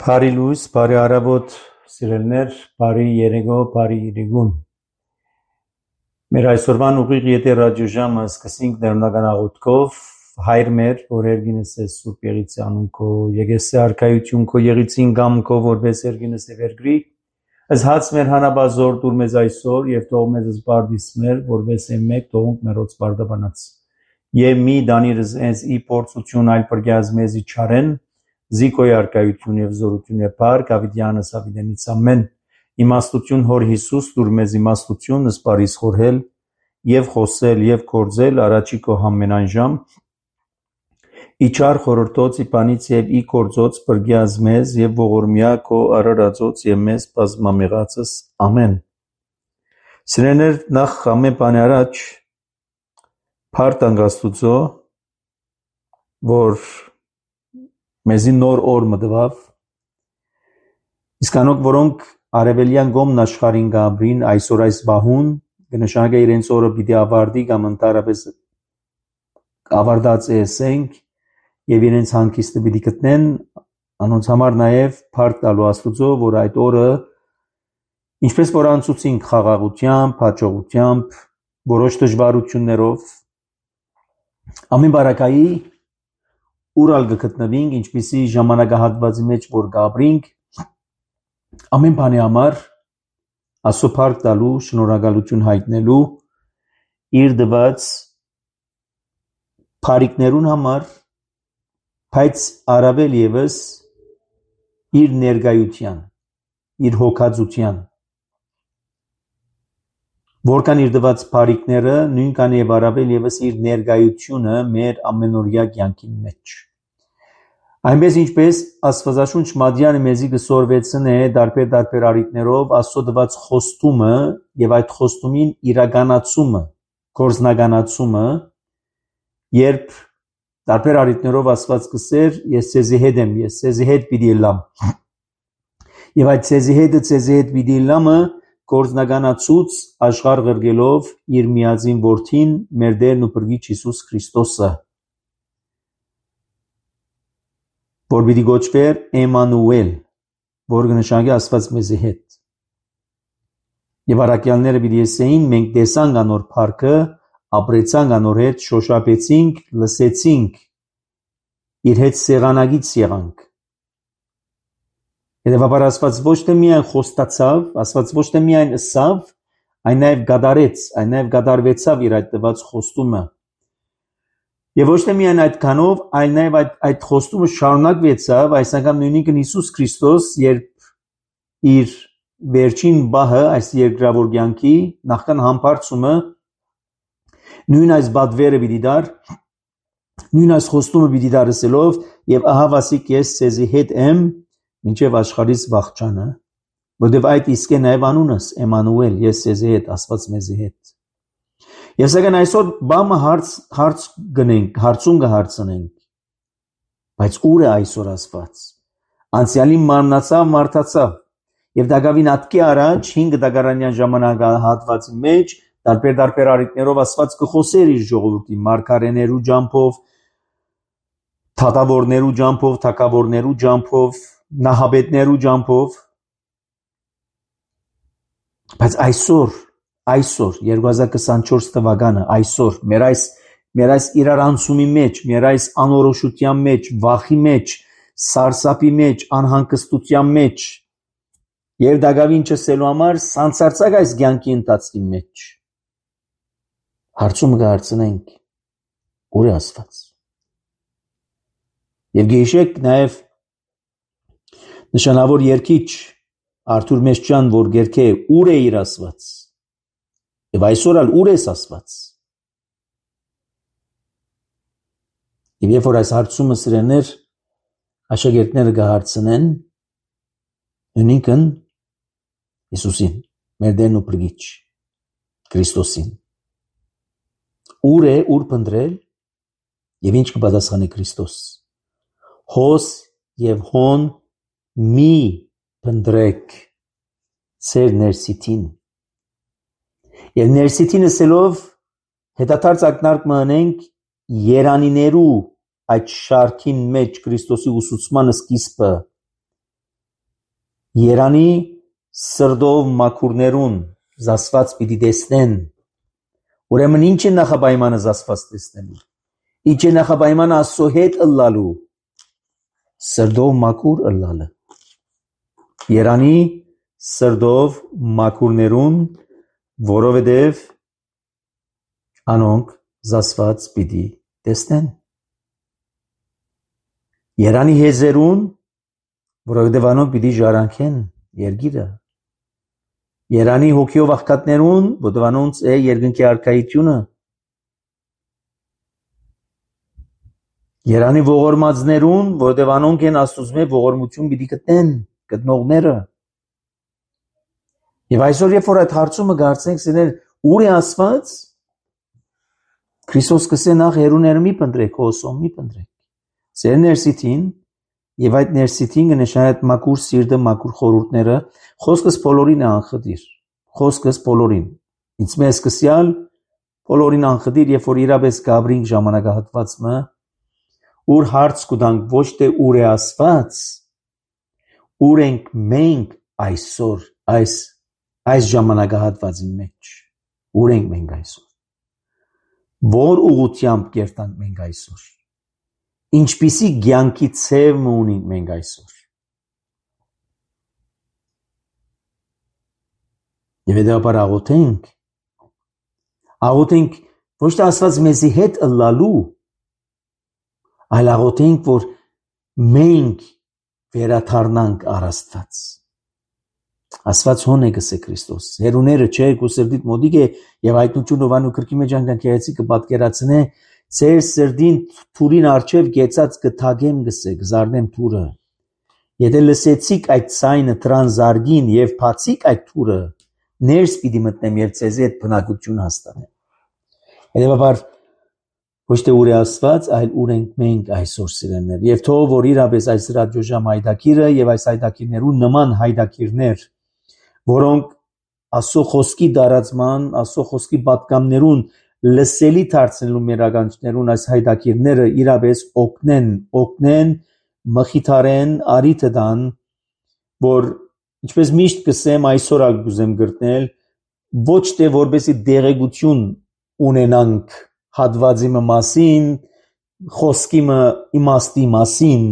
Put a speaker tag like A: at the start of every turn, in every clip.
A: Բարի լույս, բարի առավոտ, սիրելիներ, բարի երեկո, բարի իրիկուն։ Մեր այսօրվան ուղիղ եթեր ռադիոժամը սկսենք ներմնական աղոթքով, հայր մեր, որ երգինս է Սուրբ Եղիցի անուն քո, եկեսե արքայություն քո Եղիցին գամ քո, որպես երգինս է վերգրի, ըզհաց մեր հանաբազոր դուր մեզ այսօր եւ թող մեզ զբարդիս մեր, որպես է մեկ թողունք մերոց բարդաբանած։ Եվ մի դանիրս ես ի փորձություն այլ պրգյազ մեզի չարեն, Զիկոյ արքայություն եւ զորություն է բարք ավիդյանս ավիդենից ամեն իմաստություն հոր Հիսուս դուր մեզ իմաստություն սպարիս խորհել եւ խոսել եւ կործել առաջի քո համենայն իչար խորհրդոց իպանից եւ ի կործոց բրգյազ մեզ եւ ողորմյա քո արարածոց եւ մեզ բազմամեղածս ամեն Սիրեներ նախ ամեն բանի առաջ Փարտ անգաստուծո որ մեզի նոր օր մտավ իսկանոք որոնք արևելյան գոմն աշխարհին գաբրին այսօր այս բահուն կնշանակե իրենց օրը պիտի ավարտի կամ ընդհանրապես ավարտած էսենք եւ իրենց հանգիստը պիտի գտնեն անոնց համար նաեւ փառք տալու Աստծո որ այդ օրը ինչպես որ անցուցինք խաղաղությամբ, հաջողությամբ, որոշ դժվարություններով ամեն բարակայի Ուրալ գտնվինք, ինչպիսի ժամանակահատվածի մեջ որ գաբրինք, ամեն բանի համար Աստծո փառք տալու, շնորհակալություն հայտնելու իր դված փառիկներուն համար, բայց առավել եւս իր ներկայության, իր հոգածության, որքան իր դված փառիկները նույնքան եւ առավել եւս իր ներկայությունը մեր ամենօրյա կյանքի մեջ Այնպես ինչպես Աստվածաշունչ Մատյանը մեզի կսորվեցնե դարբեր առիթներով Աստծո տված խոստումը եւ այդ խոստումին իրականացումը, գործնականացումը, երբ դարբեր առիթներով Աստված կսեր, ես ցեզի հետ եմ, ես ցեզի հետ պիտի լամ։ Եվ այդ ցեզի հետ պիտի լամը գործնականացուց աշխարհ գրգելով իր միածին որդին, մեր Տերն ու Փրկիչ Հիսուս Քրիստոսը։ Որ պիտի գոչվեր Էմանուել, որ կնշանակի Աստված մեզի հետ։ Եվ առաքյալները պիտի ասեին, մենք տեսանք անոր փառքը, ապրեցանք անոր հետ, շոշափեցինք, լսեցինք, իր հետ սեղանագից եղանք։ Հետևաբար Աստված ոչ թե միայն խոստացավ, Աստված ոչ թե միայն ըսավ, այն նաև գադարեց, այն նաև գադարվեցավ իր այդ տված խոստումը։ Եվ ոչ թե միայն այդքանով, այլ նաև այդ խոստումը շարունակվեցավ, այս անգամ նույնիսկ Հիսուս Քրիստոս, երբ իր վերջին բահը, այս երկրավոր կյանքի նախքան համբարձումը, նույն այս բադվերը պիտի դար, նույն այս խոստումը պիտի դարսելով, եւ ահա վասիկ ես ցեզի հետ եմ, մինչև աշխարհից վախճանը, որտեվ այդ իսկ է նաև անունս, Էմանուել, ես ցեզի հետ, Աստված մեզի հետ։ Եվ սակայն այսօր բամը հարցում կհարցնենք, բայց ուր է այսօր Աստված։ Անցյալին մարմնացավ, մարդացավ։ Եվ դակավին ատկի առաջ 5 դագարանյան ժամանակահատվածի մեջ տարբեր առիթներով Աստված կխոսեր իր ժողովրդին մարգարեներու ջամփով, թագավորներու ջամփով, թագավորներու ջամփով, նահաբետներու ջամփով։ Բայց այսօր 2024 թվականը այսօր մեր այս իրարանցումի մեջ, մեր այս անորոշության մեջ, վախի մեջ, սարսափի մեջ, անհանգստության մեջ եւ դակավին չսելու համար սանցարցակ այս կյանքի ընթացքի մեջ հարցում կհարցնենք ուր է Աստված։ Եվ գիշեք նաև նշանավոր երկիչ Արթուր Մեշչյան, որ գերքե ուր է իր Աստված եւ այսօր ալ ուր է Աստված։ Եվ երբ որ այս հարցումը սիրելիներ աշակերտները կհարցնեն նույնքն Հիսուսին, մեր Տերն ու Փրկիչ Քրիստոսին, ուր է, ուր փնտրել եւ ինչ կպատասխանի Քրիստոս։ Հոս եւ հոն մի փնտրեք ծեր ներսիտին։ Եվ ներսիտին ասելով հետադարձ ակնարկ մնենք երանիներու այդ շարքին մեջ Քրիստոսի ուսուցմանը սկիզբը երանի սրդով մաքուրներուն զասված պիտի տեսնեն։ Ուրեմն ինչ է նախապայմանը զասված տեսնելու։ Ինչ է նախապայմանը Աստծո հետ ըլլալու։ Սրդով մաքուր ըլլալը։ Երանի սրդով մաքուրներուն, որովհետև անոնք զասված պիտի տեսնեն։ Երանի հեզերուն, որովհետև անոնք պիտի ժառանգեն երկիրը։ Երանի հոգիով աղքատներուն, որովհետև անոնց է երկնքի արքայությունը։ Երանի ողորմածներուն, որովհետև անոնք են Աստծո ողորմություն պիտի գտնեն, գտնողները։ Եվ այսօր երբ որ այդ հարցումը կարծենք, սիրել ուր է Աստված, Քրիստոս կսե նախ հերուները մի փնտրեք, հոսում մի փնտրեք։ Ձեր ներսիտին եւ այդ ներսիտին կնշանակի այդ մաքուր սիրտը, մաքուր խորհուրդները, խոսքս բոլորին է անխտիր։ Խոսքս բոլորին։ Ինձ մեզ սկսյալ բոլորին անխտիր, երբ որ իրապես գաբրինք ժամանակահատվածը, ուր հարց կուտանք ոչ թե ուր է Աստված, ուր ենք մենք այսօր այս ժամանակահատվածի մեջ, ուր ենք մենք այսօր, որ ուղղությամբ կերտանք մենք այսօր, ինչպիսի կյանքի ցև ունենք մենք այսօր։ Եվ հետաբար աղոթենք ոչ թե Աստված մեզի հետ ըլլալու, այլ աղոթենք, որ մենք վերադառնանք առ Աստված։ Աստված հոն է գսե Քրիստոս։ Հերուները չէ, քո սրդիդ մոդիկ է եւ հայտնություն ովանու քրկի մեջ անգամ քերեցի կպատկերացնե ծեր սրդին թուրին արչև գեցած կթագեմ գսե, գզարնեմ թուրը։ Եթե լսեցիք այդ ցայնը տրանզարգին եւ բացիկ այդ թուրը, ներս պիտի մտնեմ եւ ցեզի այդ բնակություն հաստատեմ։ Հետեւաբար ոչ թե ուր է Աստված, այլ ուր ենք մենք այսօր սիրելիներ։ Եվ թող որ իրապես այս ռադիոժամ հայդակիրը եւ այս հայդակիրներու նման հայդակիրներ, որոնք Աստծո խոսքի դարածման, Աստծո խոսքի պատգամներուն լսելի դարձնելու մեր ականջներուն այս հայդակիրները իրապես օգնեն, մխիթարեն, արիթը տան, որ ինչպես միշտ կսեմ այսօր ալ կուզեմ գրտնել, ոչ թե որպեսի դեղեցություն ունենանք հատվածի մասին, խոսքի իմաստի մասին,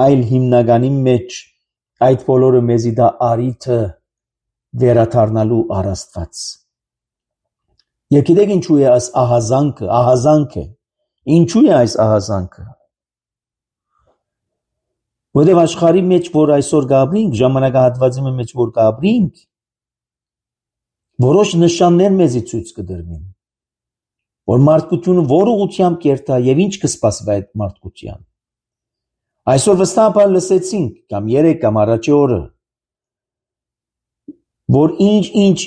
A: այլ հիմնականի մեջ այդ բոլորը մեզի դա արիթը վերադառնալու առ Աստված։ Եվ գիտեք ինչու է այս ահազանգը, ինչու է այս ահազանգը։ Որտեղ աշխարհի մեջ որ այսօր գաբրինք, ժամանակահատվածի մեջ որ գաբրինք, որոշ նշաններ մեզի ցույց կդրվին, որ մարդկությունը որ ուղղությամբ կերտա եւ ինչ կսպասվի այդ մարդկության։ Այսօր վստահաբար լսեցինք կամ երեք կամ առաջի օրը, որ ինչ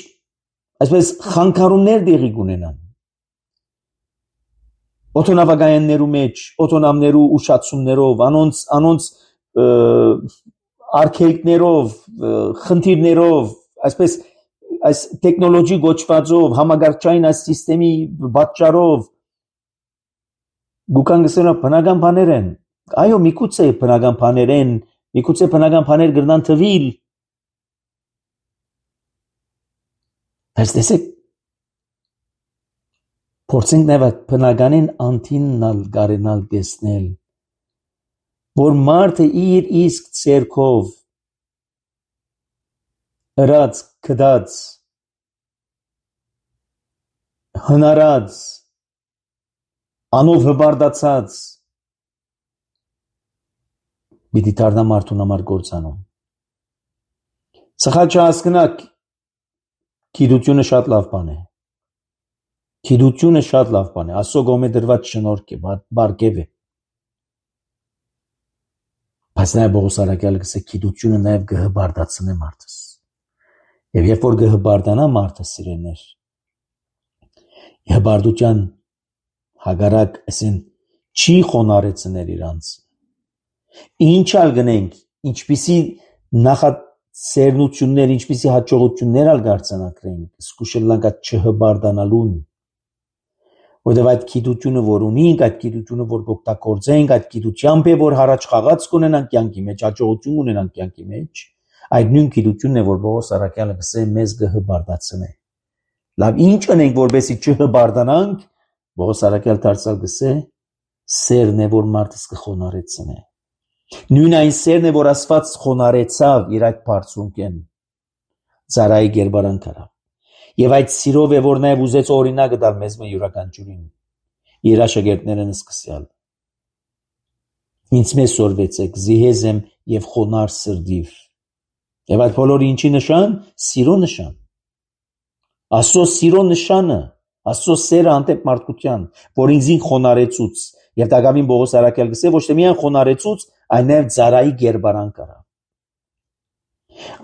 A: այսպես խանգարումներ դեղի կունենան օտոնավակայաններու մեջ, օտոնամներու ուշացումներով, անոնց արգելքներով, խնդիրներով, այսպես այս տեխնոլոգի գոչվածով, համագործային այս սիստեմի պատճառով գուկան գսելա բնական բաներ են։ Այո, միգուցե բնական բաներ են, միգուցե բնական բաներ գրնան թվիլ։ Բայց տեսեք, փորձենք նաև բնականին անտիննալ գարենալ տեսնել, որ մարդը իր իսկ ցերկով ըրած, կդած, հնարած, անով հբարդացած պիտի դառնա մարդուն համար գործանում։ Սխալ չհասկնաք, գիտությունը շատ լավ բան է։ Գիտությունը շատ լավ բան է, Աստծո կողմէ դրված շնորհք է, բարգև է։ Բայց նաև Պողոս առաքյալը գսե գիտությունը նաև կհբարդացնե մարդս։ Եվ երբ որ կհբարդանա մարդը սիրելներ, հբարդության հագարակ ասեն չի խոնարեցներ իրանց։ Ինչալ գնենք, ինչպիսի նախաձեռնություններ, ինչպիսի հաջողություններ ալ գարցանակրենք, սկուշելանք այդ չհբարդանալուն։ Որտեւ այդ գիտությունը, որ ունենք, այդ գիտությունը, որ կօգտագործենք, այդ գիտությամբ է, որ հարաճ խաղաց կունենանք կյանքի մեջ, հաջողություն ունենանք կյանքի մեջ, այդ նույն գիտությունն է, որ Պողոս առաքյալը գսե մեզ կհբարդացնե։ Լավ, ինչ անենք, որպեսզի չհբարդանանք, Պողոս առաքյալ դարձյալ գսե սերն է, որ մարդս կխոնարեցնե։ Նույն այն սերն է, որ Աստված խոնարեցավ իր այդ բարձունքեն, ծառայի գերբարանք արավ։ Եվ այդ սիրով է, որ նաև ուզեց օրինակը տալ մեզ յուրաքանչյուրին, իր աշակերտներն սկսյալ։ Ինձ մեզ սորվեցեք, զիհեզ եմ եւ խոնար սրդիվ։ Եվ այդ բոլորը ինչի նշան։ Սիրո նշան։ Աստծո սիրո նշանը, Աստծո սերը հանդեպ մարդկության, որ ինձին խոնարեցուց։ Եվ դակամին Պողոս առաքյալ գսե ոչ թե միայն խոնարեցուց, այլ նաև ծառայի գերբարանք արավ։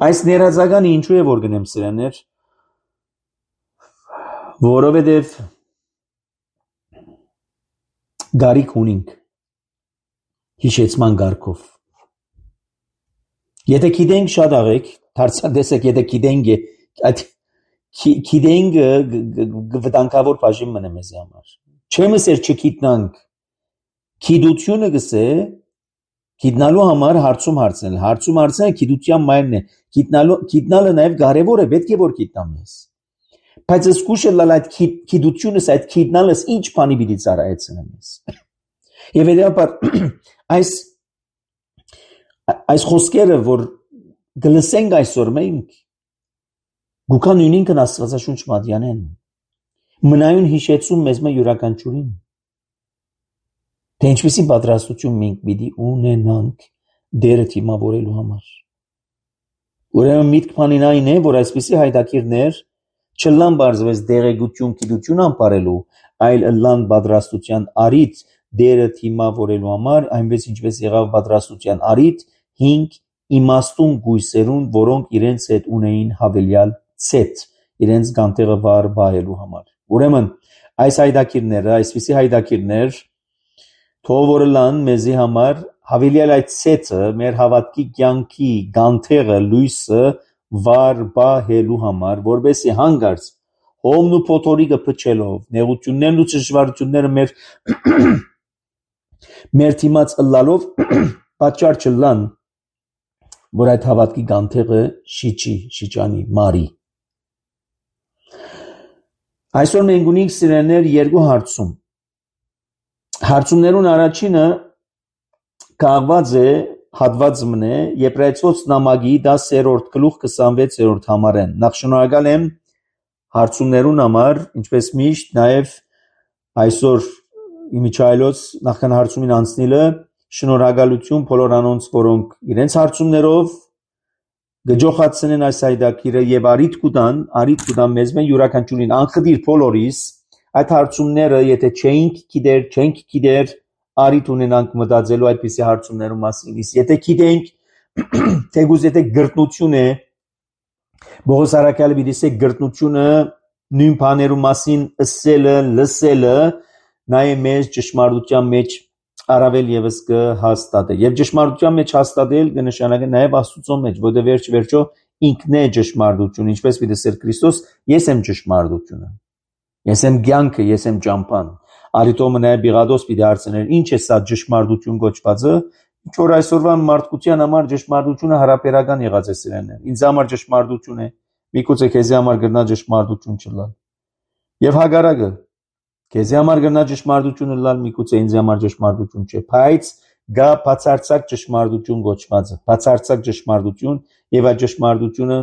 A: Այս ներածականը ինչու է որ գնեմ սրաներ, որովհետև գարիք ունենք հիշեցման գարկով։ Եթե գիտենք շատ աղեք, դարձադեսեք, եթե գիտենք, այդ գիտենք վտանգավոր բաժին մնա մեզ համար։ Չեմ ասեր չգիտնանք, գիտությունը գսե գիտնալու համար հարցում հարցնել, հարցում հարցնել գիտության մայրն է, գիտնալը նաև կարևոր է, պետք է որ գիտնամ ես։ Բայց զգուշը լալ այդ գիտությունս, այդ գիտնալս ինչ բանի պիտի ծառայեցնեմ ես։ Եվ հետեւաբար այս խոսքերը, որ գլսենք այսօր մենք, գուքան ունինքն Աստվածաշունչ մատյանեն, մնայուն հիշեցում մեզ մը յուրաքանչյուրին, թե ինչպիսի պատրաստություն մենք պիտի ունենանք դերը թիմավորելու համար։ Ուրեմն միտք բանին այն է, որ այսպիսի հայտակիրներ չլան բարձվես դեղեցություն գիտություն անպարելու, այլ լան պատրաստության արիթ դերը թիմավորելու համար, այնպես ինչպես եղավ պատրաստության արիթ 5 իմաստուն գույսերուն, որոնք իրենց հետ ունեին հավելյալ ցետ, իրենց գանտեղը վար բայելու համար։ Ուրեմն այս հայտակիրները, այսպիսի հայտակիրներ թող որ լան մեզի համար հավելյալ այդ ցետը մեր հավատքի կյանքի գանտեղը լույսը վար բայելու համար, որբեսի հանգարց հոմն ու փոթորիկը փչելով, նեղություններն ու ճշմարտությունները մեր թիմած ըլլալով պատճառ չլան, որ այդ հավատքի գանտեղը շիճանի, մարի։ Այսօր մենք ունենք սիրելիներ երկու հարցում։ Հարցումներուն առաջինը կաղված է հատված մնե Եբրայեցոց նամակի 10-րդ գլուխ 26-րդ համարեն։ Նախ շնորհակալ եմ հարցումներուն համար, ինչպես միշտ, նաև այսօր իմիջայլոց նախքան հարցումին անցնելը շնորհակալություն բոլոր անոնց, որոնք իրենց հարցումներով գջոխացնեն այս հայտակիրը եւ արիթ կուտան մեզ մեն յուրաքանչյուրին անխտիր բոլորիս այդ հարցումները, եթե չենք գիտեր, արիթ ունենանք մտածելու այդպիսի հարցումներու մասին, եթե գիտենք, թեկուզ եթե գրտնություն է, Պողոս առաքյալը պիտի ասե գրտնությունը նույն բաներու մասին ասելը, լսելը, նա է մեզ ճշմարտության մեջ առավել եւս կհաստատե։ Եվ ճշմարտության մեջ հաստատել կնշանակի նաեւ Աստծո մեջ, որտեղ վերջ-վերջո ինքն է ճշմարտություն, ինչպես պիտի Քրիստոս, ես եմ ճշմարտությունը։ Ես եմ կյանքը, ես եմ ճամփան։ Արիտոմը նաև Բիղադոս պիտի հարցներ, ինչ է սա ճշմարտություն կոչվածը, ինչ որ այսօրվա մարդկության համար ճշմարտությունը հարաբերական եղած է սրաններ։ Ինձ համար ճշմարտություն է, միգուցե քեզի համար գրնա ճշմարտություն չլալ։ Եվ հագարակը քեզի համար գրնա ճշմարտությունը լալ, միգուցե ինձ համար ճշմարտություն չէ, բայց գա բացարձակ ճշմարտություն կոչվածը, բացարձակ ճշմարտություն, եւ այդ ճշմարտությունը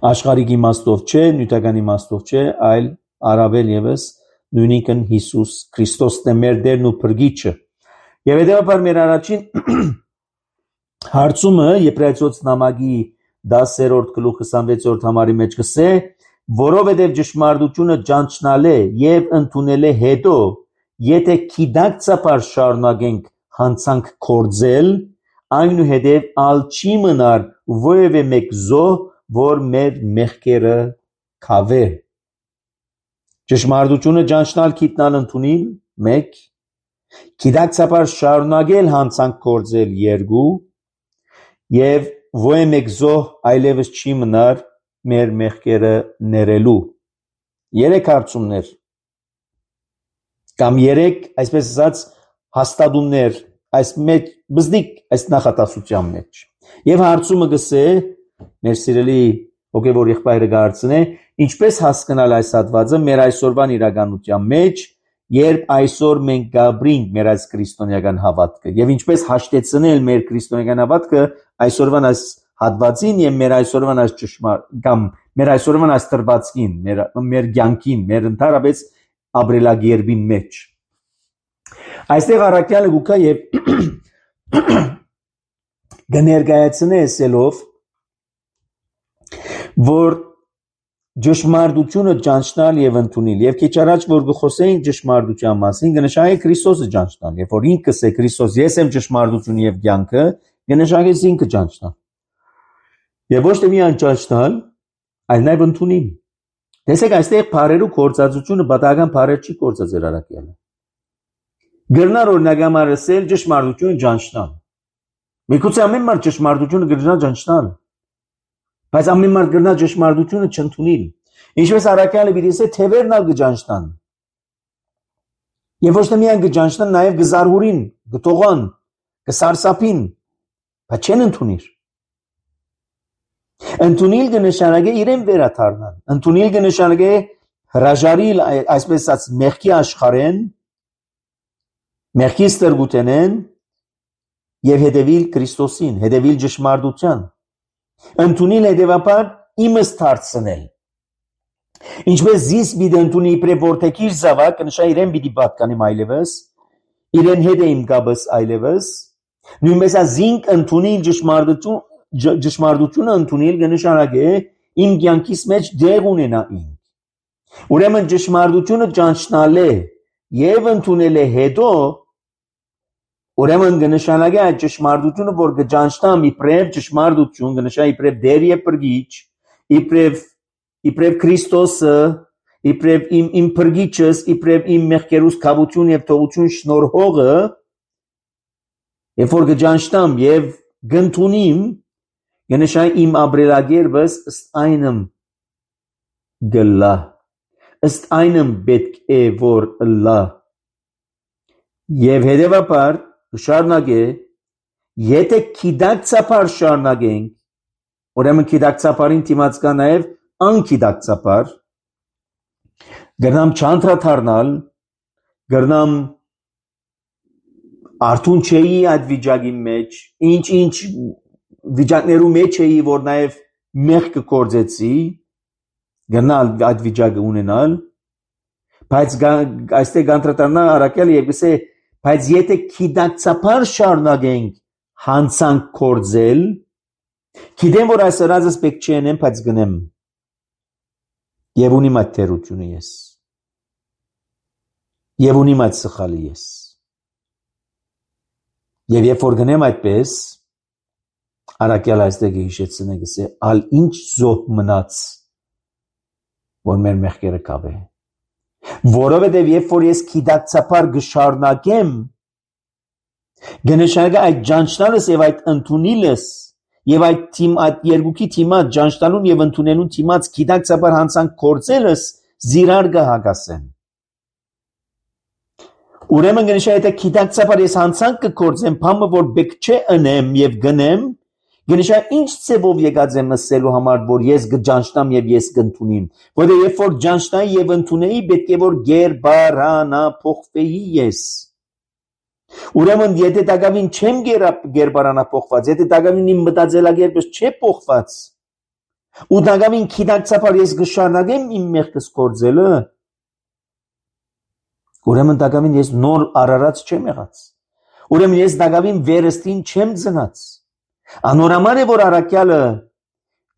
A: աշխարհիկ իմաստով չէ, նյութական իմաստով չէ, այլ առավել եւս նույնիկն Հիսուս Քրիստոսն է մեր Տերն ու Փրկիչը։ Եվ հետեւաբար մեր առաջին հարցումը Եբրայեցոց նամակի 10-րդ գլուխ 26-րդ համարի մեջ գսե, որովհետև ճշմարտությունը ճանչնալ է եւ ընդունել է հետո, եթե քիդակցաբար շարունակենք հանցանք կործել, այնուհետև ալ չի մնար որևէ մեկ զոհ, որ մեր մեղքերը քավե։ Ճշմարտությունը ճանչնալ, քիդնալ, ընդունել 1, քիդակցաբար շարունակել հանցանք կործել 2, եւ որևէ մեկ զոհ այլևս չի մնար մեր մեղքերը ներելու։ 3 հարցումներ կամ 3, այսպես ասած, հաստատումներ այս մեջ բզդիկ այս նախատասության մեջ։ Եվ հարցումը գսե մեր սիրելի հոգևոր եղբայրը գարցնե, ինչպես հասկանալ այս հատվածը մեր այսօրվան իրականության մեջ, երբ այսօր մենք գաբրինք մեր այս քրիստոնեական հավատքը, եւ ինչպես հաշտեցնել մեր քրիստոնեական հավատքը այսօրվան այս հատվածին եւ մեր այսօրվան այս կամ մեր այսօրվան այս տրվածքին, մեր կյանքին, մեր ընդհանրապես ապրելակերպին մեջ։ Այստեղ առաքյալը գուքա եւ կներկայացնե ասելով, որ ճշմարտությունը ճանչնալ եւ ընդունել եւ քիչ առաջ որ գխոսեինք ճշմարտության մասին կնշանակի Քրիստոսը ճանչնալ եւ որ ինքս է Քրիստոս ես եմ ճշմարտությունը եւ կյանքը կնշանակի ինքը ճանչնալ եւ ոչ թե միայն ճանչնալ այլ նաեւ ընդունել տեսեք այստեղ բարերու կործածությունը բավական բարեր չի կործած երարակյանը գրնար օրինակամար ասել ճշմարտությունը ճանչնալ միգուցե ամեն մարդ ճշմարտությունը գրնա ճանչնալ բայց ամեն մարդ գրնա ճշմարտությունը չընդունել ինչպես առաքյալը պիտի ասե թևերն ալ կճանչնան եւ ոչ թե միայն կճանչնան նաեւ կզարհուրին կտողան կսարսափին բայց չեն ընդունիր ընդունել կնշանակե իրեն վերադառնալ ընդունել կնշանակե հրաժարիլ այսպես ասած մեղքի աշխարհեն մեղքի ստրգութենեն եւ հետևիլ Քրիստոսին հետևիլ ճշմարտության ընդունել հետևաբար իմս դարձնել ինչպես զիս պիտի ընդունի իբրև որդեկիր զավակ կնշա իրեն պիտի պատկանեմ այլևս իրեն հետ է իմ գաբս այլևս նույնպես զինք ընդունել ճշմարտությունը ընդունել կնշանակե իմ կյանքիս մեջ դեղ ունենա ինք ուրեմն ճշմարտությունը ճանչնալ է եւ ընդունել է հետո ուրեմն կնշանակի այդ ճշմարտությունը որ կճանչնամ իբրև ճշմարտություն կնշանակի իբրև Տեր եւ Փրկիչ իբրև Քրիստոսը իբրև իմ Փրկիչս իբրև իմ մեղքերուս քավություն եւ թողություն շնորհողը երբ որ կճանչնամ եւ կընդունիմ կնշանակի իմ ապրելակերպս ըստ այնմ գլա ըստ այնմ պետք է որ լա եւ հետեւաբար շարունակե եթե քիդակցաբար շարունակենք ուրեմն քիդակցաբարին դիմաց կա նաեւ անկիդակցաբար գնամ չանդրադառնալ գնամ արթուն չէի այդ վիճակի մեջ ինչ վիճակներու մեջ էի որ նաեւ մեղք կործեցի գնալ այդ վիճակը ունենալ բայց այստեղ անդրադառնա առաքյալը եւ գսե բայց եթե քիդակցաբար շարունակենք հանցանք կործել գիտեմ որ այս հրազս պետք չի անեմ բայց գնեմ եւ ունիմ այդ թերությունը ես եւ ունիմ այդ սխալը ես եւ երբ որ գնեմ այդպես առաքյալը այստեղ հիշեցնե գսե ալ ինչ զոհ մնաց որ մեր մեղքերը կավե որովհետև երբ որ ես քիդակցաբար գշարունակեմ
B: Գնշագա այդ ճանչնալս եւ այդ ընդունիլս եւ այդ երկուքի թիմած ճանչնալուն եւ ընդունելուն թիմած գիտակցաբար հանցանք կործելս զիրար կհագասեն։ Ուրեմն գնշա եթե գիտակցաբար ես հանցանք կկործեմ, բամը որ բեք չէ ընեմ եւ գնեմ, գնշա ինչ ծեվով եկած եմ ասելու համար, որ ես կճանչնամ եւ ես կընդունիմ, որը երբ որ ճանչնայի եւ ընդունեի, պետք է որ գերբարանա փոխվեի ես։ Ուրեմն եթե դակավին չեմ գերբարանափոխված, եթե դակավին իմ մտածելակերպս չէ փոխված, ու դակավին քիդակցաբար ես կշարունակեմ իմ մեղքս կործելը, ուրեմն դակավին ես նոր արարած չեմ եղած։ Ուրեմն ես դակավին վերստին չեմ ծնած։ Անորամար է որ առաքյալը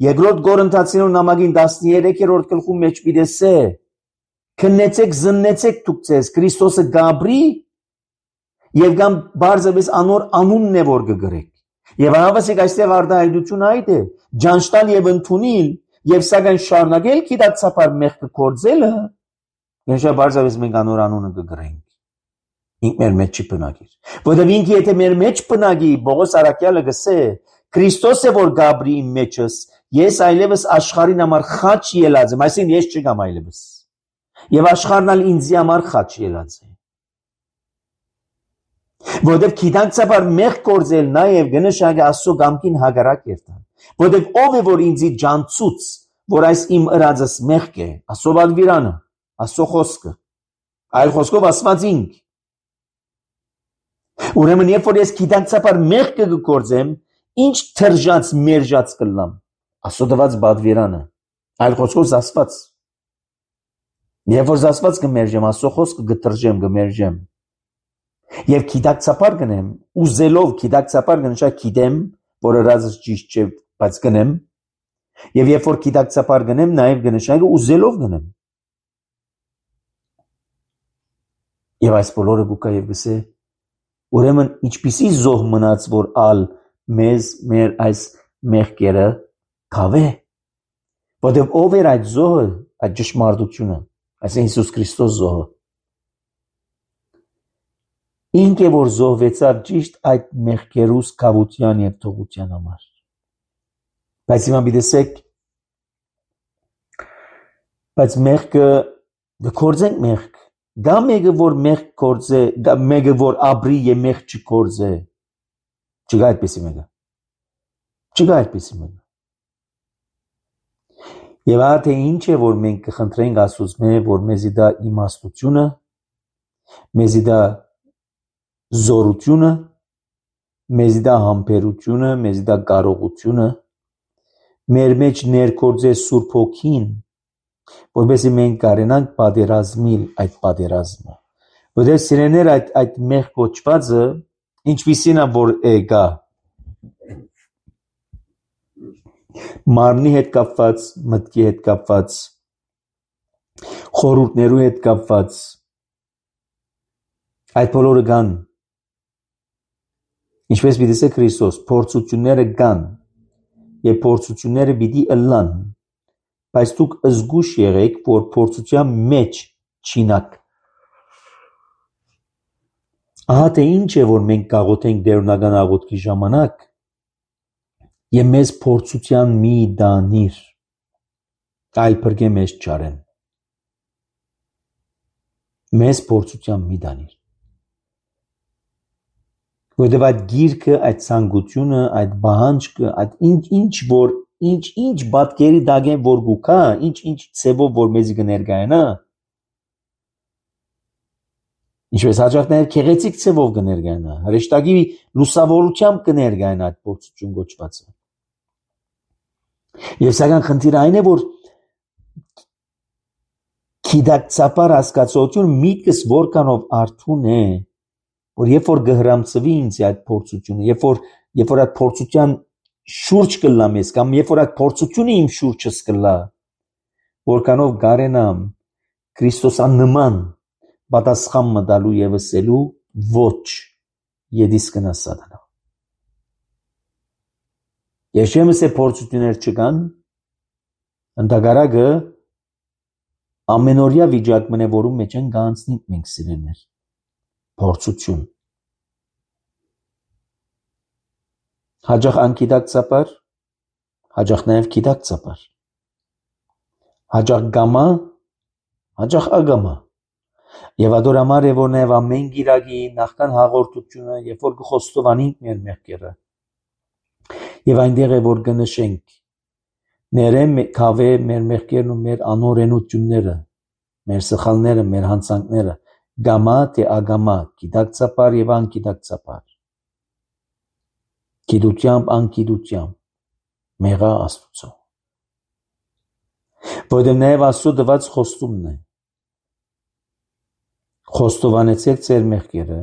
B: երկրորդ Կորինթացիներուն նամակին 13-րդ գլխում մեջ պիտեսե քննեցեք զննեցեք դուք ձեզ Քրիստոսը գաբրի եւ կամ բարձրապես անոր անունն է որ կգրեք եւ հավասիկ այստեղ արտահայտություն այդ է ճանչտալ եւ ընդունիլ եւ սակայն շարունակել գիտակցաբար մեղքը կործելը ինչա բարձրապես մենք անոր անունը կգրենք ինք մեր մեջ չբնակիր որովհետեւ ինքը եթե մեր մեջ բնակի Պողոս առաքյալը գսե Քրիստոսը որ գաբրի իմ մեջս ես այլևս աշխարհին համար խաչ ելած եմ այսինքն ես չգամ այլևս եւ աշխարհն ալ ինձ համար խաչ ելած է որովհետև գիտակցաբար մեղք կործել նաև գնշագը Աստծո կամքին հակառակ երթալ որովհետև ով է որ ինձի ջանցուց որ այս իմ ըրածս մեղք է Աստծո բادվիրանը Աստծո խոսքը այլ խոսքով ասված ինք ուրեմն երբ որ ես գիտակցաբար մեղք կգործեմ ինչ թրջած մերժած կլամ Աստծո տված բادվիրանը այլ խոսքով ասված երբ որ ասված կմերժեմ Աստծո խոսքը կտրժեմ կմերժեմ Եվ գիտակցաբար գնեմ, ուզելով գիտակցաբար գնշա գիտեմ, որ ըրածս ճիշտ չէ, բայց գնեմ, եւ երբ որ գիտակցաբար գնեմ, նաեւ գնշա ուզելով գնեմ։ Եվ այս բոլորը գուկա եւ գսե, ուրեմն ինչպիսի զոհ մնաց, որ ալ մեզ մեր այս մեղքերը կավե, որտեղ ով էր այդ զոհը, այդ ճշմարտությունը, այսինքն Հիսուս Քրիստոս զոհը Ինք է որ զոհվեցավ ճիշտ այդ մեղքերուս կավության եւ թողության համար։ Բայց հիմա բիդեսեք, բայց մեղքը կորձենք մեղք։ Գա մեկը որ մեղք կորձե, գա մեկը որ ապրի եւ մեղք չկորձե։ Չկա այդպեսի մեկը։ Չկա այդպեսի մեկը։ Եվ այդը ինչ է որ մենք կխնդրենք Աստծուց որ մեզի դա իմաստությունը, մեզի դա զորությունը, մեզի դա համբերությունը, մեզի դա կարողությունը, մեր մեջ ներկործե Սուրբ Հոգին, որովհետեւ մենք կարենանք պատերազմիլ այդ պատերազմը։ Որովհետեւ սիրեներ այդ մեղ կոչվածը ինչպիսին է որ գա մարմնի հետ կապված, մտքի հետ կապված, խորհուրդներու հետ կապված այդ բոլորը կան Ինչպես պիտի Քրիստոս փորձությունները կան եւ փորձությունները պիտի ըլլան բայց դուք զգուշ եղեք որ փորձության մեջ չինակ Ահա թե ինչ է որ մենք կաղոթենք դերունական աղոթքի ժամանակ եւ մեզ փորձության մի դանիր այլ բրգե մեզ չարեն մեզ փորձության մի դանիր Որտեւ այդ գիրքը, այդ ցանկությունը, այդ բանջկը, այդ ինչ բատկերի դագեն որ գուքա, ինչ ցեվով որ մեզի կներկայանա, ինչպես հաջողներ քեղեցիկ ցեվով կներկայանա, հրեշտակի լուսավորությամբ կներկայանա այդ փորձություն գոչվածը։ Եվ սակայն խնդիրը այն է որ գիտակցաբար հասկացություն միտքս որքանով արթուն է որ երբ որ գհրամցվի ինձ այդ փորձությունը, երբ որ այդ փորձության շուրջ կլամ ես կամ երբ որ այդ փորձությունը իմ շուրջս կլա, որքանով գարենամ Քրիստոսանման պատասխան մտալու եւ ասելու ոչ, եդիս կնա սատանա։ Ես չեմ ասել փորձություններ չկան, ընդհակառակը ամենօրյա վիճակ մնե որում մեջ են գանցնի մենք սիրելներ։ Փորձություն Հաջող անկիդակցաբար, հաջող նաև կիդակցաբար, հաջող գամա, հաջող ագամա, եւ adorամար է որ նաև ամեն գիրագի նախքան հաղորդությունը, երբ որ կխոստովանենք մեր մեղքերը, եւ այնտեղ է որ կնշենք ներեմ կավե մեր մեղքերն ու մեր անօրենությունները, մեր սխալները, մեր հանցանքները, գամա թե ագամա, գիտակցաբար եւ անկիտակցաբար, գիտությամբ անկիտությամբ, մեղա Աստծո, որտեղ նաև Աստծո դված խոստումն է, խոստովանեցեք ձեր մեղքերը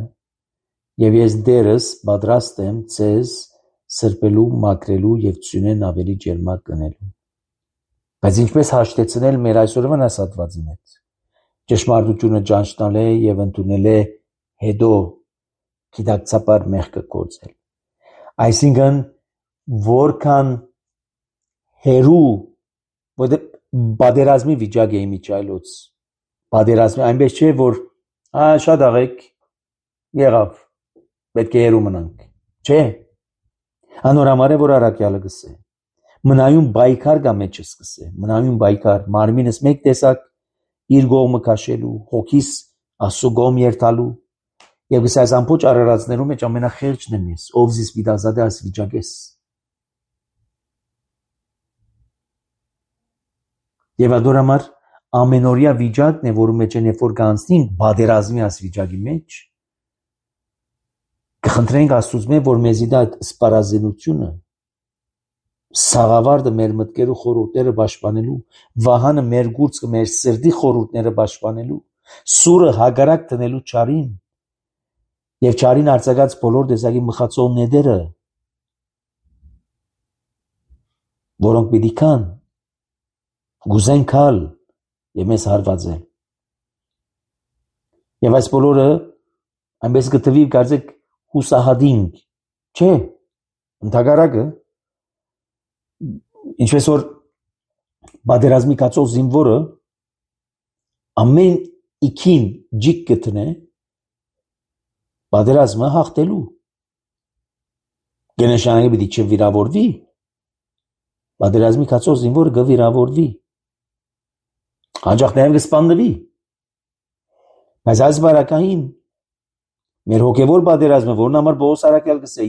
B: եւ ես դերս պատրաստ եմ ձեզ սրբելու, մաքրելու եւ ծյունեն ավելի ջերմակ կնելու։ Բայց ինչպես հաշտեցնել մեր այսօրվան ասածին հետ։ Ճշմարտությունը ճանչնալ է եւ ընդունել է հետո գիտակցաբար մեղքը կործել։ Այսինքն որքան հերու որտեղ բادرազմի վիճակ է իմիջայլոց բادرազմի այնպես չէ որ շատ աղեք եղավ պետք է հերու մնանք չէ անորամար է որ առաքյալը գսե մնայուն բայկար գա մեջը սկսե մնայուն բայկար մարմինս մեկ տեսակ իր գողմը քաշելու հոգիս ասուգոմ երթալու եւ գսե այս ամբողջ արարածներում մեջ ամենախեղճն եմ ես ով զիս վիդազադե այս վիճակես եւ adorամար ամենօրյա վիճակն է որում մեջ են երբ որ կանցնին բادرազմի այս վիճակի մեջ կխնդրենք Աստծուց որ մեզի դա սպառազինությունը սաղավարտը մեր մտքերու խորհուրդները պաշտպանելու վահանը մեր գուրծքը մեր սրտի խորհուրդները պաշտպանելու սուրը հագարակ տնելու ճարին եւ ճարին արձակած բոլոր դեսակի մխացող նետերը որոնք պիտի կան գուզեն կալ եւ մեզ հարվածել եւ այս բոլորը այնպես կտվի կարծեք հուսահատինք չէ ընդհակառակը ինչպես որ բادرազմի կացող զինվորը ամեն իքին ջիկ կտնե բادرազմը հաղթելու գնաշանագի պիտի չվիրավորվի բادرազմի կացող զինվորը կվիրավորվի հաջող նաև կսպանվի բայց այս բարակային մեր հոգևոր բادرազմը որն համար Պողոս առաքյալ գսե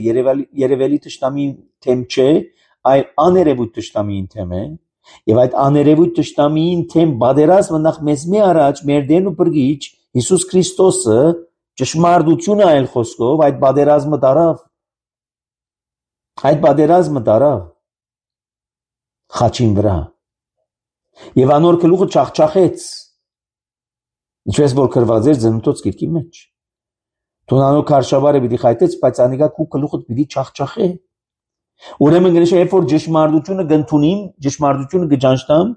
B: երևելի թշնամի թեմ չէ այլ աներևույթ թշնամին թեմ է եւ այդ աներևույթ թշնամին թեմ բادرազմը նախ մեզ մի առաջ մեր դեն ու բրգիչ Հիսուս Քրիստոսը ճշմարտությունը այլ խոսքով այդ բادرազմը տարավ խաչին վրա եւ անոր գլուխը չախչախեց ինչպես որ գրված էր ծննդոց գիրքի մեջ Տոնանո քարշավարը պիտի խայտեց, բայց անիկա քու գլուխը պիտի չախչախե։ Ուրեմն գնիշը երբ որ ճշմարտությունը կընդունիմ, ճշմարտությունը կճանչնամ,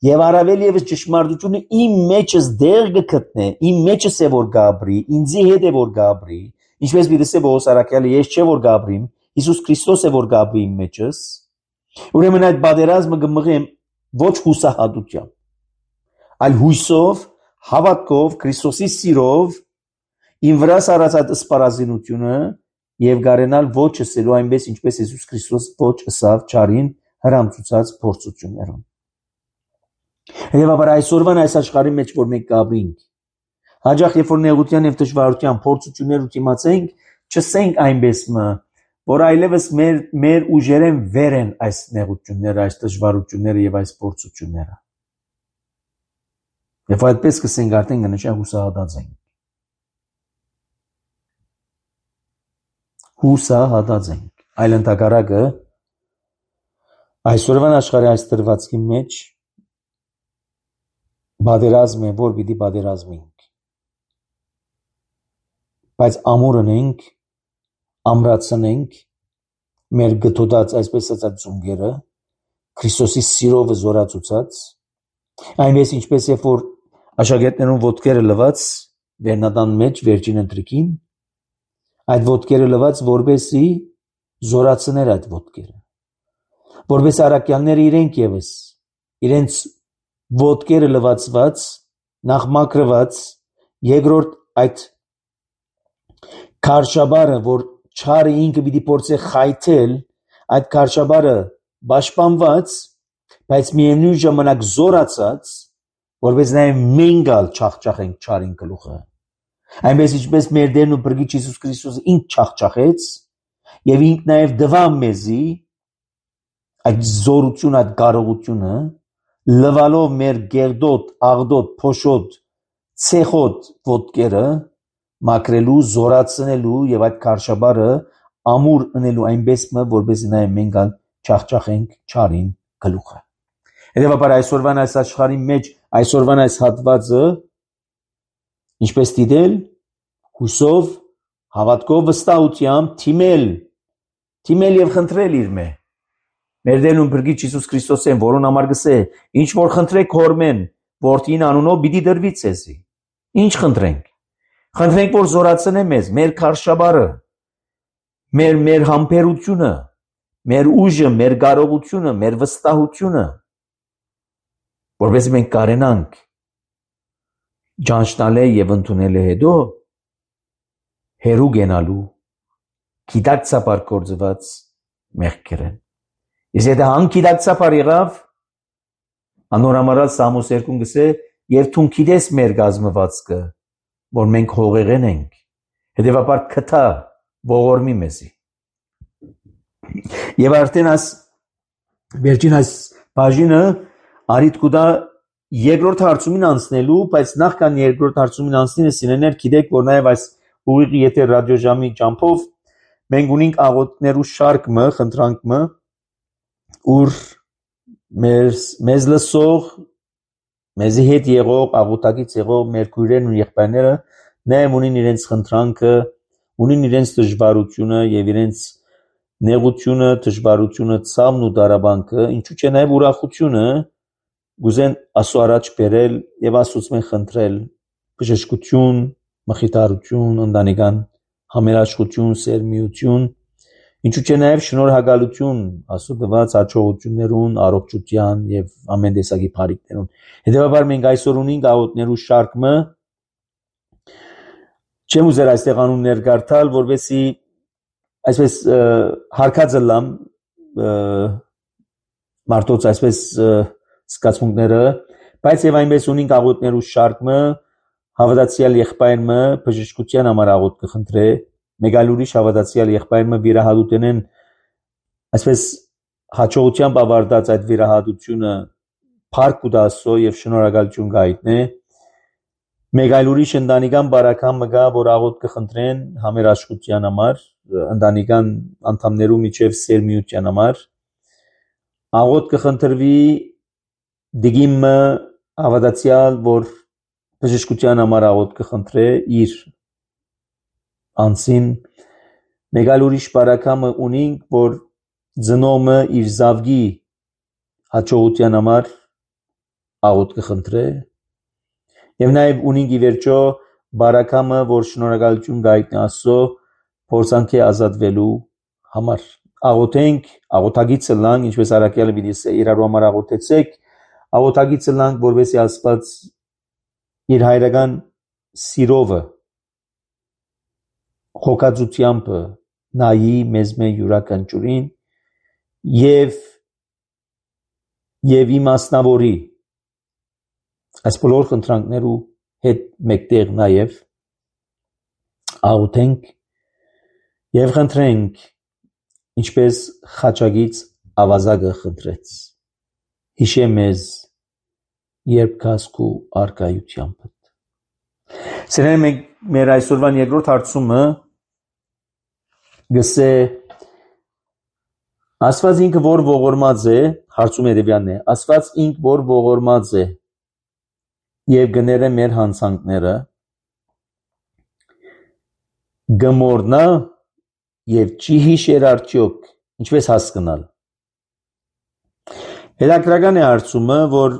B: եւ առավել եւս ճշմարտությունը իմ մեջս դեր կգտնե, իմ մեջս է որ գաբրի, ինձի հետ է որ գաբրի, ինչպես պիտի Պողոս առաքյալը ես չէ որ գաբրիմ, Հիսուս Քրիստոս է որ գաբրի իմ մեջս։ Ուրեմն այդ բادرազմը կմղեմ ոչ հուսահատությամբ, այլ հույսով, հավատքով, Քրիստոսի սիրով Իմ վրա սարածած սպառազինությունը եւ գարենալ ոչ ասելու այնպես ինչպես Հիսուս Քրիստոս ոչ ասավ ճարին հրամցուցած փորձություններում։ Հետևաբար այսօրվան այս աշխարհի մեջ որ մենք կապրինք, հաջող երբ որ նեղության եւ դժվարության փորձություններ ու դիմացենք, չսենք այնպես որ այլևս մեր ուժերեն վեր են այս նեղությունները, այս դժվարությունները եւ այս փորձությունները։ Եվ այդպես կսենք արդեն կնշան հուսահատած ենք։ Հուսահատած ենք։ Այլ ընդհակառակը այսօրվան աշխարհի այս դրվածքի մեջ բادرազմ է, որ պիտի բادرազմենք։ Բայց ամուրընենք, ամրացնենք մեր գտոտած այսպես ասած ծունգերը, Քրիստոսի սիրով զորացուցած, այնպես ինչպես երբ որ աշակերտներուն ոտքերը լված վերնատան մեջ վերջին ընտրիկին, այդ ոտքերը լված որբեսի զորացներ այդ ոտքերը, որբես առաքյալները իրենք եւս իրենց ոտքերը լվացված, նախ մաքրված, երկրորդ այդ քարշաբարը, որ չարը ինքը պիտի փորձե խայթել այդ քարշաբարը պաշտպանված, բայց միևնույն ժամանակ զորացած, որպես նաև մենք չախճախենք չարին գլուխը։ Այնպես ինչպես մեր Տերն ու Փրկիչ Հիսուս Քրիստոսը ինք չախճախեց եւ ինք նաև դվա մեզի այդ զորություն, այդ կարողությունը, լվալով մեր գերդոտ, աղդոտ, փոշոտ, ցեխոտ ոտքերը մաքրելու, զորացնելու եւ այդ քարշաբարը ամուր ընելու այնպես որպես նաև մենք չախճախենք չարին գլուխը։ Հետևաբար այսօրվան այս աշխարհի մեջ այսօրվան այս հատվածը ինչպես դիտել հուսով, հավատքով, վստահությամբ թիմել եւ խնդրել իր մեր Տերն ու Փրկիչ Հիսուս Քրիստոսեն, որոն համար գսե, ինչ որ խնդրեք Հորմեն, Որդին անունով պիտի դրվի ցեզի։ Ինչ խնդրենք։ Խնդրենք, որ զորացնե մեզ, մեր քարշաբարը, մեր համբերությունը, մեր ուժը, մեր կարողությունը, մեր վստահությունը, որովհետեւ մենք կարենանք ճանչնալը եւ ընդունելը հետո հերու գենալու գիտակցաբար կործված մեղքերեն։ Իսկ եթե անգիտակցաբար եղավ, անորամարալ Սամոս 2 գսե եւ թուն գիտես մեր գազմվածքը, որ մենք հողեղեն ենք, հետեւաբար քթա ողորմի մեզի։ Եվ արդեն վերջին այս բաժինը արիտ կուտա երկրորդ հարցումին անցնելու, բայց նախքան երկրորդ հարցումին անցնելը սիրեներ գիտեք, որ նաև այս ուղիղ եթե ռադիոժամի ճամփով մենք ունենք աղոթքներու շարքը, խնդրանքը, ուր մեզ լսող, մեզի հետ եղող, աղոթակից եղող մեր քույրերն ու եղբայրները նաև ունին իրենց խնդրանքը, ունին իրենց դժվարությունը եւ իրենց նեղությունը, դժվարությունը, ցավն ու դարաբանքը, ինչու՞ չէ նաև ուրախությունը գուզեն Աստծո առաջ բերել եւ Աստծոց խնդրել բժշկություն, մխիթարություն, ընտանեկան համերաշխություն, սերմիություն, ինչու՞ չէ նաև շնորհակալություն Աստծո տված հաջողություններուն, առողջության եւ ամեն տեսակի բարիքներուն։ Հետեւաբար մենք այսօր ունենք աղոթներու շարքը, չեմ ուզեր այստեղ անուններ գարտալ, որովհետեւ այսպես հարկածը լամ մարդոց այսպես սկացմունքները, բայց եւ այնպես ունենք աղոթներու շարքը, հավատացյալ եղբայրը բժշկության համար աղոթ կխնդրե, մեկ այլ ուրիշ հավատացյալ եղբայրը վիրահատութենեն այսպես հաջողությամբ ավարտած այդ վիրահատությունը փառք ու դասո եւ շնորհակալություն գայտնե, մեկ այլ ուրիշ ընտանեկան բարակամը գա, որ աղոթ կխնդրեն համերաշխության համար, ընտանեկան անդամներու միջև սերմիության համար, աղոթ կխնդրվի դիգիմը հավատացյալ, որ բժշկության համար աղոթ կխնդրե իր անցին, մեկ այլ ուրիշ բարակամը ունենք, որ ծնոմը իր զավգի հաջողության համար աղոթ կխնդրե, եւ նաեւ ունենք ի վերջո բարակամը, որ շնորհակալություն գայտնի Աստծո փորձանքի ազատվելու համար։ Աղոթենք, աղոթագիծը լանք, ինչպես Արաքյալը պիտի ասե, իրարու համար աղոթեցեք, աղոթագիծը լանք, որովհետեւ Աստված իր հայրական սիրովը խոքածությամբ նայի մեզ յուրաքանչյուրին եւ իմաստնավորի այս բոլոր խնդրանքներու հետ մեկտեղ նաեւ աղոթենք եւ խնդրենք, ինչպես խաչագից ավազակը խնդրեց, հիշե մեզ երբ կասկու արկայությամբ։ Սրանք մեր այսօրվան երկրորդ հարցումը գսե Աստված ինքը որ ողորմած է, հարցում երևյանն է, Աստված ինք որ ողորմած է եւ գները մեր հանցանքները գմորնա եւ չի հիշեր արդյոք, ինչպես հասկանալ։ Հետաքրական է հարցումը, որ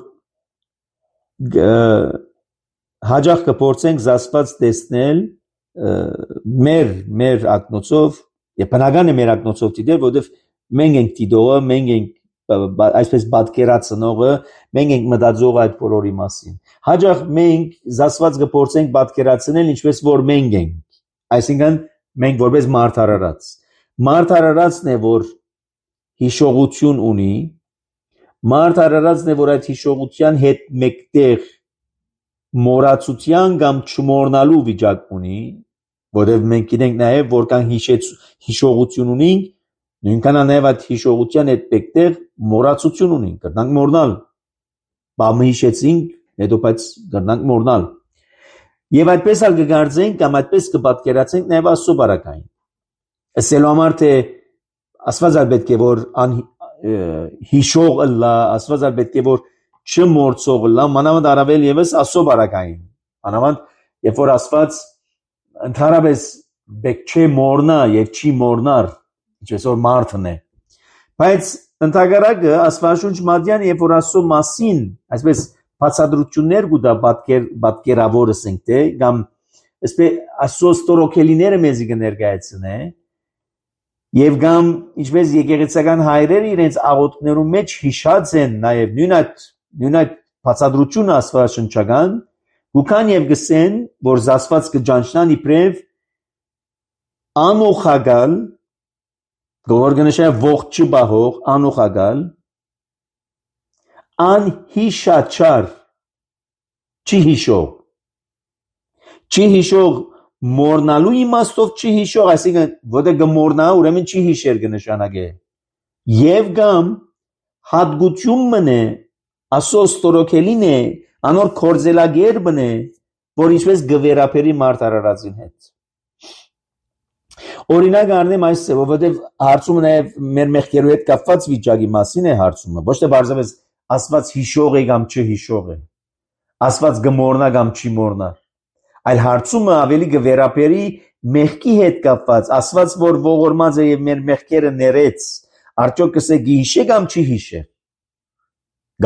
B: հաջող կփորձենք զասված տեսնել մեր ակնոցով եւ բնական է մեր ակնոցով դիտել, որովհետեւ մենք ենք դիտողը, մենք ենք այսպես պատկերացնողը, մենք ենք մտածողը այդ բոլորի մասին։ Հաջող մենք զասված կփորձենք պատկերացնել ինչպես որ մենք ենք, այսինքն մենք որպես մարդ արարած։ Մարդ արարածն է որ հիշողություն ունի, մարդ արարածն է, որ այդ հիշողության հետ մեկտեղ մոռացության կամ չմոռնալու վիճակ ունի, որովհետև մենք գիտենք նաև, որքան հիշողություն ունենք, նույնքան նաև այդ հիշողության հետ մեկտեղ մոռացություն ունենք, կրնանք մոռնալ, բամը հիշեցինք, հետո բայց կրնանք մոռնալ, եւ այդպես ալ կգարձենք կամ այդպես կպատկերացենք նաև Աստծո բարակային, ասելու համար թե Աստված պետք է որ հիշող լա, Աստված պետք է որ չմոռցող լա, մանավանդ առավել եւս Աստծո բարակային, մանավանդ երբ որ Աստված ընդհանրապես պետք չէ մոռնա եւ չի մոռնար, ինչպես որ մարդն է, բայց ընդհանրակը Աստվածաշունչ մատյան երբ որ Աստծո մասին, այսպես բացատրություններ կուտա պատկերավոր ասենք թե կամ այսպես Աստծո ստորոքելիները մեզի կներկայացնե եւ կամ ինչպես եկեղեցական հայրերը իրենց աղոթքներում մեջ հիշած են նաեւ նույն այդ բացատրությունը աստվածաշնչական գուքան եւ գսեն որ Աստված կճանչնան իբրև անոխագալ գորգնշա ողջ չբահող անոխագալ անհիշաչար չի հիշող մոռնալու իմաստով չի հիշող, այսինքն որտեղ կմոռնա, ուրեմն չի հիշեր կնշանակե։ Եվ կամ հատկություն մնե, Աստծո ստորոքելին է, անոր կորձելագերբն է, որ ինչպես գվերապերի մարդ արարածին հետ։ Օրինակ առնեմ այս ծևով, որտեղ հարցումը նաև մեր մեղքերու հետ կապված վիճակի մասին է հարցումը, ոչ թե բարձրապես Աստված հիշող է կամ չհիշող է, Աստված կմոռնա կամ չի մոռնա, այլ հարցումը ավելի կվերապերի մեղքի հետ կապված, Աստված որ ողորմած է եւ մեր մեղքերը ներեց, արդյոք կսե գիհիշե կամ չի հիշե,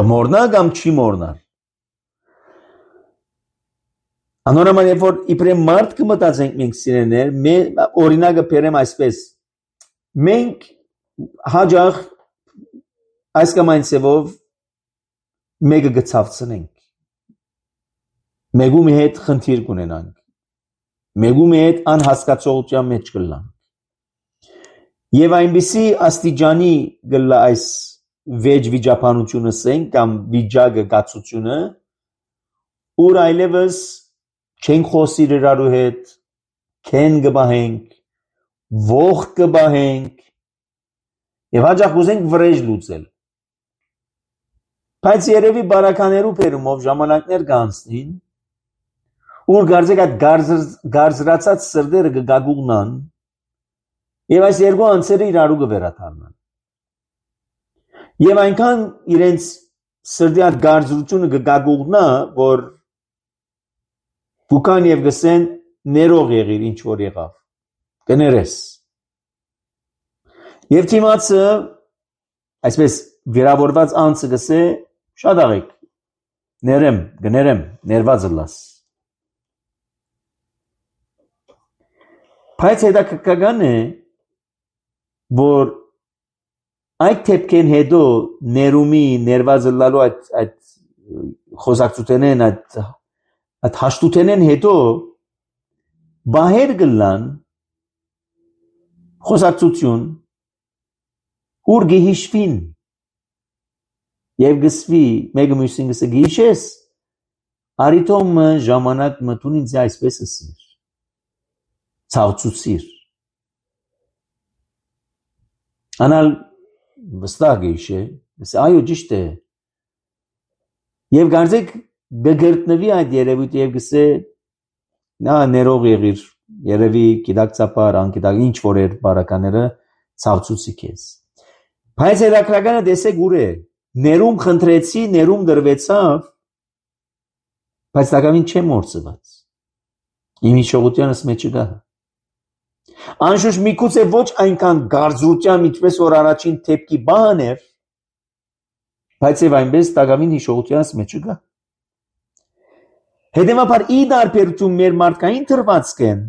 B: կմոռնա կամ չի մոռնա։ Անորոման երբ որ իբրև մարդ կմտածենք մենք սիրելիներ, օրինակը բերեմ այսպես, մենք հաջող այս կամ այն ծևով մեկը գցավցնենք, մեկու մի հետ խնդիր կունենանք, մեկու մի հետ անհասկացողության մեջ կլանք, եւ այնպիսի աստիճանի գլա այս վեճ վիճապանությունը սենք կամ վիճակը գացությունը, ուր այլևս չենք խոսիր իրարու հետ, քեն կբահենք, ող կբահենք եւ հաջող կուզենք վրեժ լուծել։ Բայց երևի բարականերու բերումով ժամանակներ կանցնին, ուր գարձեք այդ գարձրացած սրդերը կգագուղնան եւ այս երկու անձերը իրարու կվերաթարնան։ Եվ այնքան իրենց սրդի այդ գարձրությունը կգագուղնա, որ Բուքան եւ գսեն ներող եղիր ինչ որ եղավ կներես եւ թիմացը այսպես վիրավորված անձը գսե շատ աղեք գներեմ ներված լաս բայց հետաքրքրական է որ այդ թեփքեն հետո ներումի ներված լալու այդ խոսակցութենեն այդ հաշտութենեն հետո բահեր գլան խոսակցություն ուր գիհիշվին եւ գսվի մեկը մյուսին գսե գիհիշես արիտոմ ժամանակ մտուն ինձ այսպես ասիր ցավցուցիր անալ վստահ գիհիշե գսե այո ճիշտ է եւ գարձեք գգրտնվի այդ երևույթը եւ գսե նա ներող եղիր երևի գիտակցաբար անկիտակ ինչ որ էր բարակաները ցավցուցի քեզ բայց հետաքրքրականը դեսեք ուր է ներում խնդրեցի ներում դրվեցավ բայց դակամին չեմ մորցված իմ հիշողությանս մեջ չկա անշուշտ միգուցե ոչ այնքան գարձրությամբ ինչպես որ առաջին թեփքի բան էր բայց եւ այնպես դակամին հիշողությանս մեջ չկա Հետևաբար ի դարբերություն մեր մարդկային թրվածքեն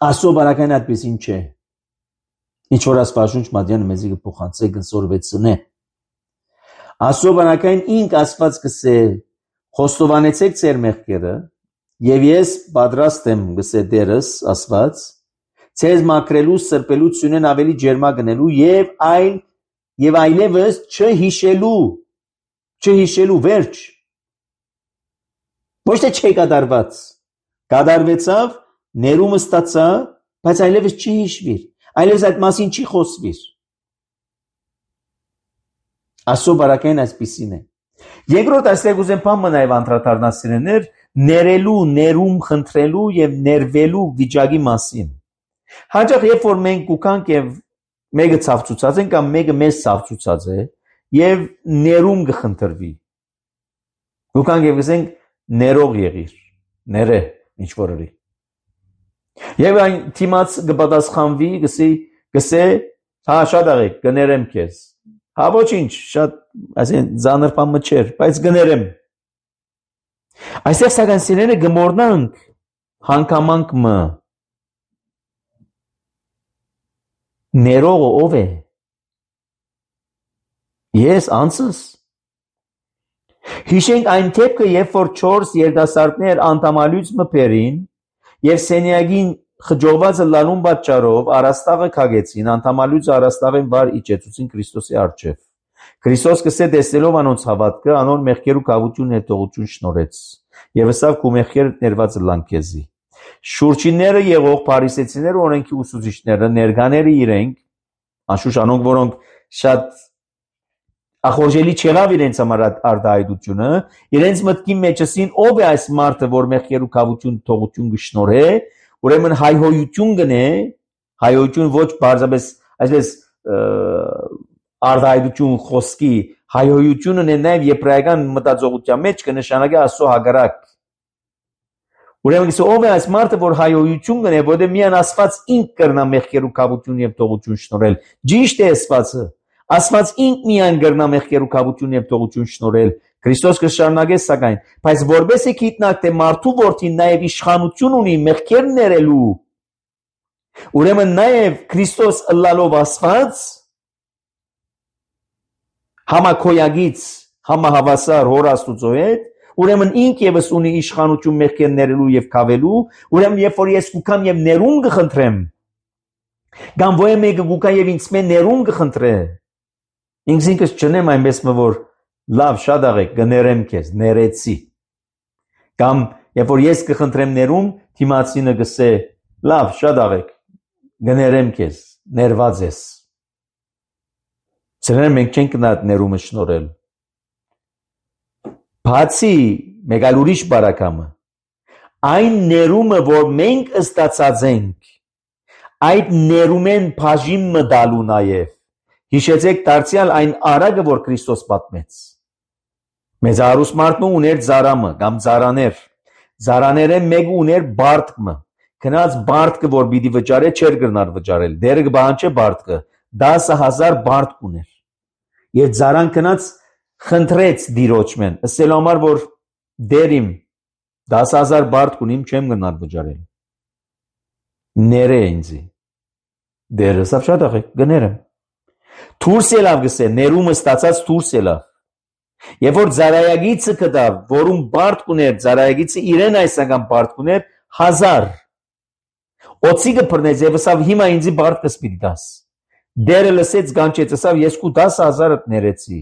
B: Աստծո բարակային այդպեսին չէ ինչ որ Աստվածաշունչ մատյանը մեզի կփոխանցե կսորվեցնե Աստծո բարակային ինք Աստված կսե խոստովանեցեք ձեր մեղքերը եւ ես պատրաստ եմ գսե դերս Աստված ցեզ մաքրելու, սրբելու, սյունեն ավելի ջերմագնելու եւ այլևս չհիշելու վերջ։ Ոչ թե չի կատարված, կատարվեցավ, ներումը ստացա, բայց այլևս չի հիշվիր, այլևս այդ մասին չի խոսվիր։ Աստծո բարակային այսպիսին է։ Երկրորդ այստեղ ուզեմ բան նաև անդրադառնալ սիրելիներ, ներելու, ներում խնդրելու եւ ներվելու վիճակի մասին։ Հաճախ երբ որ մենք ուկանք եւ մեկը ցավցուցած են կամ մեկը մեզ ցավցուցած է եւ ներում կխնդրվի։ Ուկանք եւ ասենք ներող եղիր, ներե ինչ որի։ Եվ այն թիմած կպատասխանվի, գսե, հա շատ աղեք, կներեմ քեզ։ Հա ոչինչ, շատ ասեն ծանր բան չէր, բայց կներեմ։ Այստեղ սակայն սիրելիները գմորնանք հանգամանք մը։ Ներողը ով է։ Ես անցս։ Հիշենք այն դեպքը, երբ որ 4 երիտասարդներ անտամալույց մփերին եւ սենյակին խջողվածը լալուն պատճառով առաստաղը քագեցին, անտամալույց առաստաղեն վար իջեցուցին Քրիստոսի առջև։ Քրիստոս կսե տեսնելով անոնց հավատքը, անոր մեղքերու կավություն հետողություն շնորհեց։ Եվ ասավ քու մեղքերը ներված լան քեզի։ Շուրջինները եղող փարիսեցիները օրենքի ուսուցիչները ներկաները իրենք, անշուշտ անոնք որոնք շատ ախորժելի չեղավ իրենց համար արտահայտությունը, իրենց մտքի մեջ ասին ով է այս մարդը, որ մեղքերու կավություն թողություն կշնորհե, ուրեմն հայհոյություն գնե, հայհոյություն ոչ բարձրապես այսպես արտահայտություն խոսքի, հայհոյությունն է նաև եբրայական մտածողության մեջ կնշանակի Աստծո հակառակ։ Ուրեմն ով է այս մարդը, որ հայհոյություն գնե, որտեղ միայն Աստված ինք կրնա մեղքերու կավություն եւ թողություն շնորհել։ Ճիշտ է Աստվածը։ Աստված ինք միայն կրնա մեղքերու կավություն եւ թողություն շնորհել։ Քրիստոս կշարունակե սակայն, բայց որբեսի գիտնակ թե մարդու որդին նաև իշխանություն ունի մեղքեր ներելու։ Ուրեմն նաև Քրիստոս ըլլալով Աստված համակոյագից համահավասար հոր Աստուծո հետ, ուրեմն ինք եւս ունի իշխանություն մեղքեր ներելու եւ կավելու, ուրեմն երբ որ ես կուքամ եւ ներում կխնդրեմ, կամ ոյ մեկը կուքա եւ ինձ մեն ներում կխնդրե, ինքս չնեմ այնպես որ լավ շատ աղեք կներեմ քեզ, ներեցի։ Կամ երբ որ ես կխնդրեմ ներում, թիմացինը կսե լավ շատ աղեք կներեմ քեզ, ներված ես։ Սրանք մենք չենք գնա ներումը շնորհել։ Բացի մեկ այլ ուրիշ բարակամը, այն ներումը, որ մենք ստացած ենք, այդ ներումեն բաժին մտալու նաև։ Հիշեցեք դարձյալ այն արագը, որ Քրիստոս պատմեց։ Մեծ արուս մարդն ուներ ծարամը կամ ծարաներ։ Ծարաները մեկը ուներ բարտկը։ Քնած բարտկը, որ պիտի վճարե, չէր գնար վճարել։ Դերը կբանջե բարտկը 10,000 բարտկ ուներ։ Եվ ծարան քնած խնդրեց դիրոջմեն, ասելու համար որ դերիմ 10,000 բարտկ ունիմ, չեմ գնար վճարել։ Ներե ինձի։ Դերը սա շատ աղեք, գներեմ։ Թուրս ելավ գսե, ներումը ստացած թուրս ելավ։ Եվ որ ծարայագիցը կդավ, որում բարտկ ուներ, ծարայագիցը իրեն այսական բարտկ ուներ 1000։ Օծիկը բռնեց եւ ասավ հիմա ինձի բարտկս պիտի դաս։ Դերը լսեց գանչեց, ասավ ես քու 10,000-ըդ ներեցի։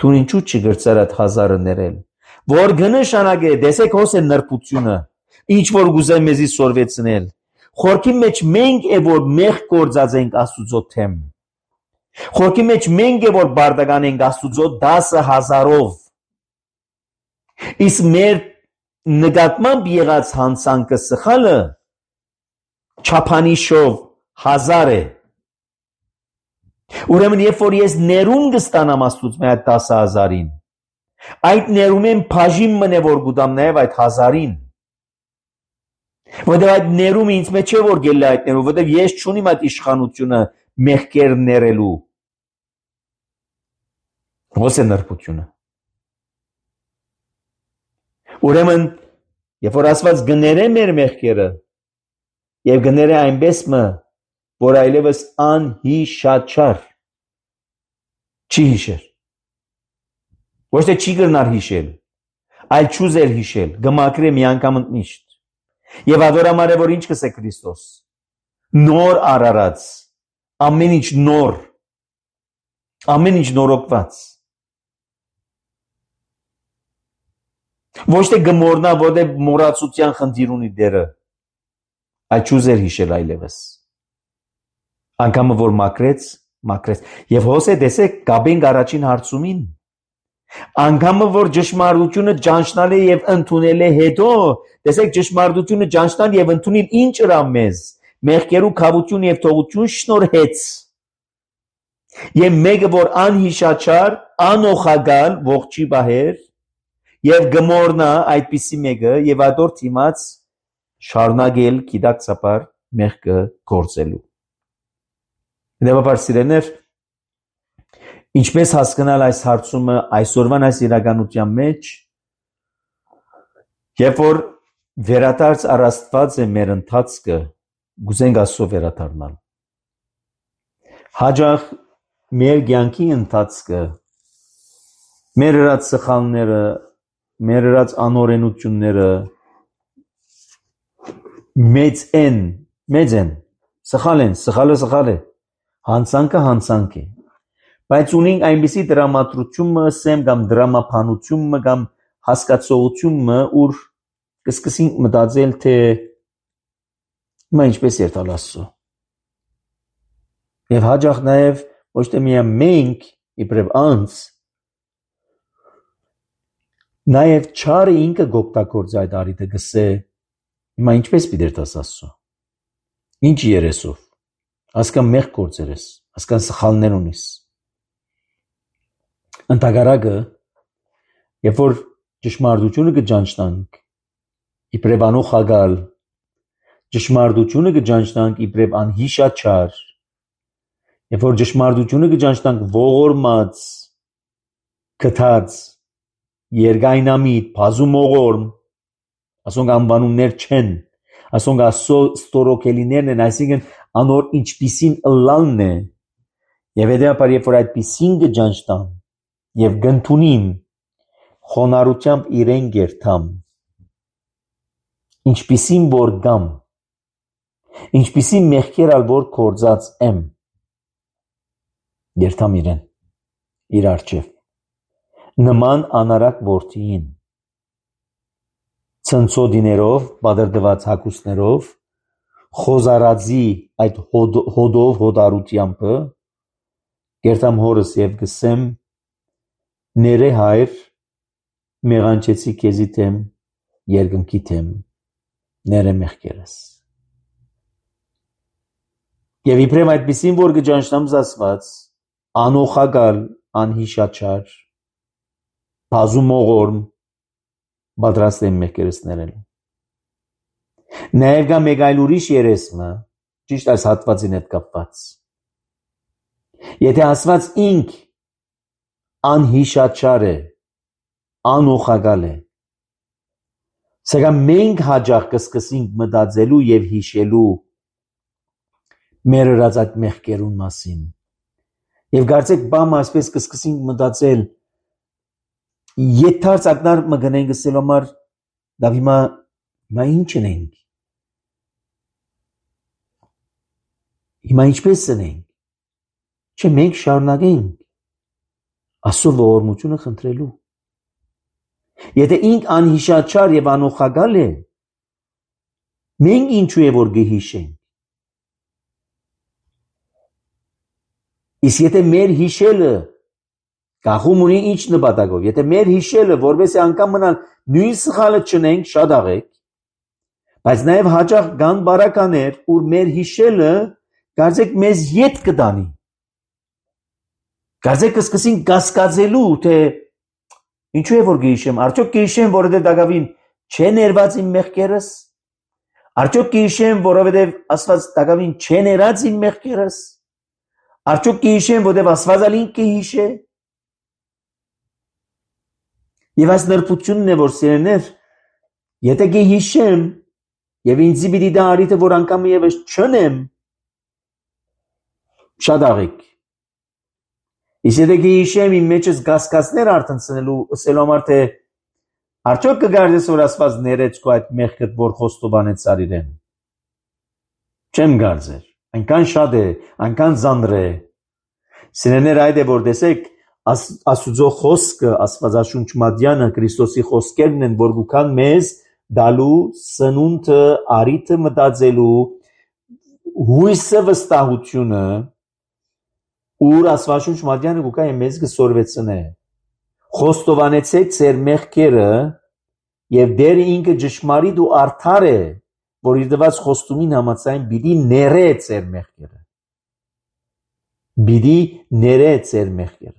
B: Դու ինչու չգրծար այդ 1000-ը ներել։ Որ կնշանակե, տեսեք հոս է նրբությունը, ինչ որ գուզեմ մեզի սորվեցնել։ Խորքի մեջ մենք է որ մեղ գործած ենք Աստուծո թեմ։ Խորքի մեջ մենք է որ բարդական ենք Աստուծո 10,000-ով։ Իսկ մեր նկատմամբ եղած հանցանքը սխալը չափանիշով 1000 է։ Ուրեմն երբ որ ես ներում կստանամ Աստուծո այդ 10,000-ին, այդ ներումեն բաժին մնե որ գուտամ նաև այդ 1000-ին։ Որտեղ այդ ներումը ինձ մեջ չէ որ գելը այդ ներումը, որտեղ ես չունիմ այդ իշխանությունը մեղքեր ներելու։ Ո՞ս է նրբությունը։ Ուրեմն երբ որ Աստված գները մեր մեղքերը եւ գները այնպես մը որ այլևս անհիշաչար չի հիշեր։ Ոչ թե չի գնար հիշել, այլ չուզեր հիշել, գմակրե մի անգամ ընդմիշտ։ Եվ ադորամարը որ ինչ կսե Քրիստոս։ նոր արարած, ամեն ինչ նոր, ամեն ինչ նորոգված։ Ոչ թե գմորնա, որտեղ մոռացության խնդիր ունի դերը, այլ չուզեր հիշել այլևս։ Անգամը որ մաքրեց, եւ հոսե տեսեք գաբենք առաջին հարցումին։ Անգամը որ ճշմարտությունը ճանչնալ է եւ ընդունել է հետո, տեսեք ճշմարտությունը ճանչնալ եւ ընդունել ինչ ыրա մեզ, մեղքերու քավություն եւ թողություն շնորհեց։ Եվ մեկը որ անհիշաչար, անօխագալ, ողջի բահեր եւ գմորնա այդպիսի մեկը եւ ադոր թիմած շարունակել գիտակցաբար մեղքը գործելու։ Դեպաբար սիրելիներ, ինչպես հասկանալ այս հարցումը այսօրվան այս իրականության մեջ, երբ որ վերադարձ առաստված է մեր ընթացքը, գուզենք Աստծո վերադառնալ։ Հաջող մեր կյանքի ընթացքը, մեր հրած սխալները, մեր հրած անօրենությունները մեծ են, սխալ են, սխալը, հանցանքը, բայց ունենք այնպիսի դրամատրությունը սեմ կամ դրամափանությունը կամ հասկացողությունը, ուր կսկսենք մտածել, թե մա ինչպես երթալ Աստծո։ Եվ հաջող նաև ոչ թե միայն մենք, իբրև անձ, նաև չարը ինքը գոպտագործ այդ արիթը գսե, հիմա ինչպես պիտի երթաս Աստծո։ Ինչ երեսով, ասկան մեղ գործեր ես, ասկան սխալներ ունիս։ Ընդհակառակը, երբ որ ճշմարտությունը կճանչնանք, իբրև անօխագալ, ճշմարտությունը կճանչնանք իբրև անհիշաչար, երբ որ ճշմարտությունը կճանչնանք ողորմած, քթած, երկայնամիտ, բազումողորմ, ասոնք անվանումներ չեն, ասոնք Աստծո ստորոքելիներն են, այսինքն անոր ինչպիսին ըլլալն է, եւ հետեւաբար երբ որ այդպիսին կճանչնամ եւ գնդունիմ խոնարհությամբ իրեն գերթամ, ինչպիսին որ գամ, ինչպիսին մեղքեր ալ որ կործած եմ, գերթամ իրեն, իր առջև, նման անարակ որդիին, ցնցոդիներով, բادرդված հակուսներով, խոզարածի այդ հոդով հոդարությամբ, գերթամ հորս եւ գսեմ, ները հայր, մեղանչեցի քեզի թեմ, երկնքի թեմ, ները մեղքերս։ Եվ իբրև այդպիսին, որ կճանչնամ զասված, անօխագալ, անհիշաչար, բազումողորմ, պատրաստ եմ մեղքերս ներելու։ Նաև կա մեկ այլ ուրիշ երեսմը, ճիշտ այս հատվածին հետ կապված։ Եթե ասված ինք անհիշաչար է, անօխագալ է, սակայն մենք հաջող կսկսենք մտածելու եւ հիշելու մեր հրած այդ մեղքերուն մասին։ Եվ կարծեք բամը այսպես կսկսենք մտածել, եթարց ակնար մգնենք ասել համար, դա հիմա ինչ ենք, հիմա ինչպես ենք, չէ մենք շարունակենք Աստծո ողորմությունը խնդրելու։ Եթե ինք անհիշաչար եւ անօխագալ է, մենք ինչու է որ գհիշենք։ Իսկ եթե մեր հիշելը գախում ունի ինչ նպատակով, եթե մեր հիշելը որպես անգամ մնալ նույն սխալը չնենք, շատ աղեք, բայց նաեւ հաճախ կան բարականեր, ուր մեր հիշելը կարծեք մեզ ետ կտանի։ Կարծեք կսկսենք կասկածելու, թե ինչու է որ գհիշեմ, արդյոք գհիշեմ, որովհետև դակավին չէ ներված իմ մեղքերս, արդյոք գհիշեմ, որովհետև Աստված դակավին չէ ներած իմ մեղքերս, արդյոք գհիշեմ, որովհետև Աստված ալ ինքը հիշե։ Եվ այս նրբությունն է, որ սիրելիներ, եթե գհիշեմ, եւ ինձի պիտի դա արիթը, որ անգամ եւս չնեմ, շատ աղեք։ Իսկ եթե գհիշեմ իմ մեջս կասկածներ արտնցնելու, ասելու համար թե արդյոք կգարդես որ Աստված ներեց քո այդ մեղքդ, որ խոստովանեց արիրեն։ Չեմ գարձեր, այնքան շատ է, այնքան ծանր է։ Սիրելիներ, այդ է որ տեսեք, Աստուծո խոսքը, Աստվածաշունչ մատյանը, Քրիստոսի խոսքերն են, որ գուքան մեզ դալու սնունդը, արիթը մտածելու, հույսը վստահությունը, ուր Աստվածաշունչ մատյանը գուքա մեզ կսորվեցնե։ Խոստովանեցեք ձեր մեղքերը եւ դեր ինքը ճշմարիտ ու արդար է, որ իր դված խոստումին համաձայն պիտի ներե ձեր մեղքերը։ Պիտի ներե ձեր մեղքերը։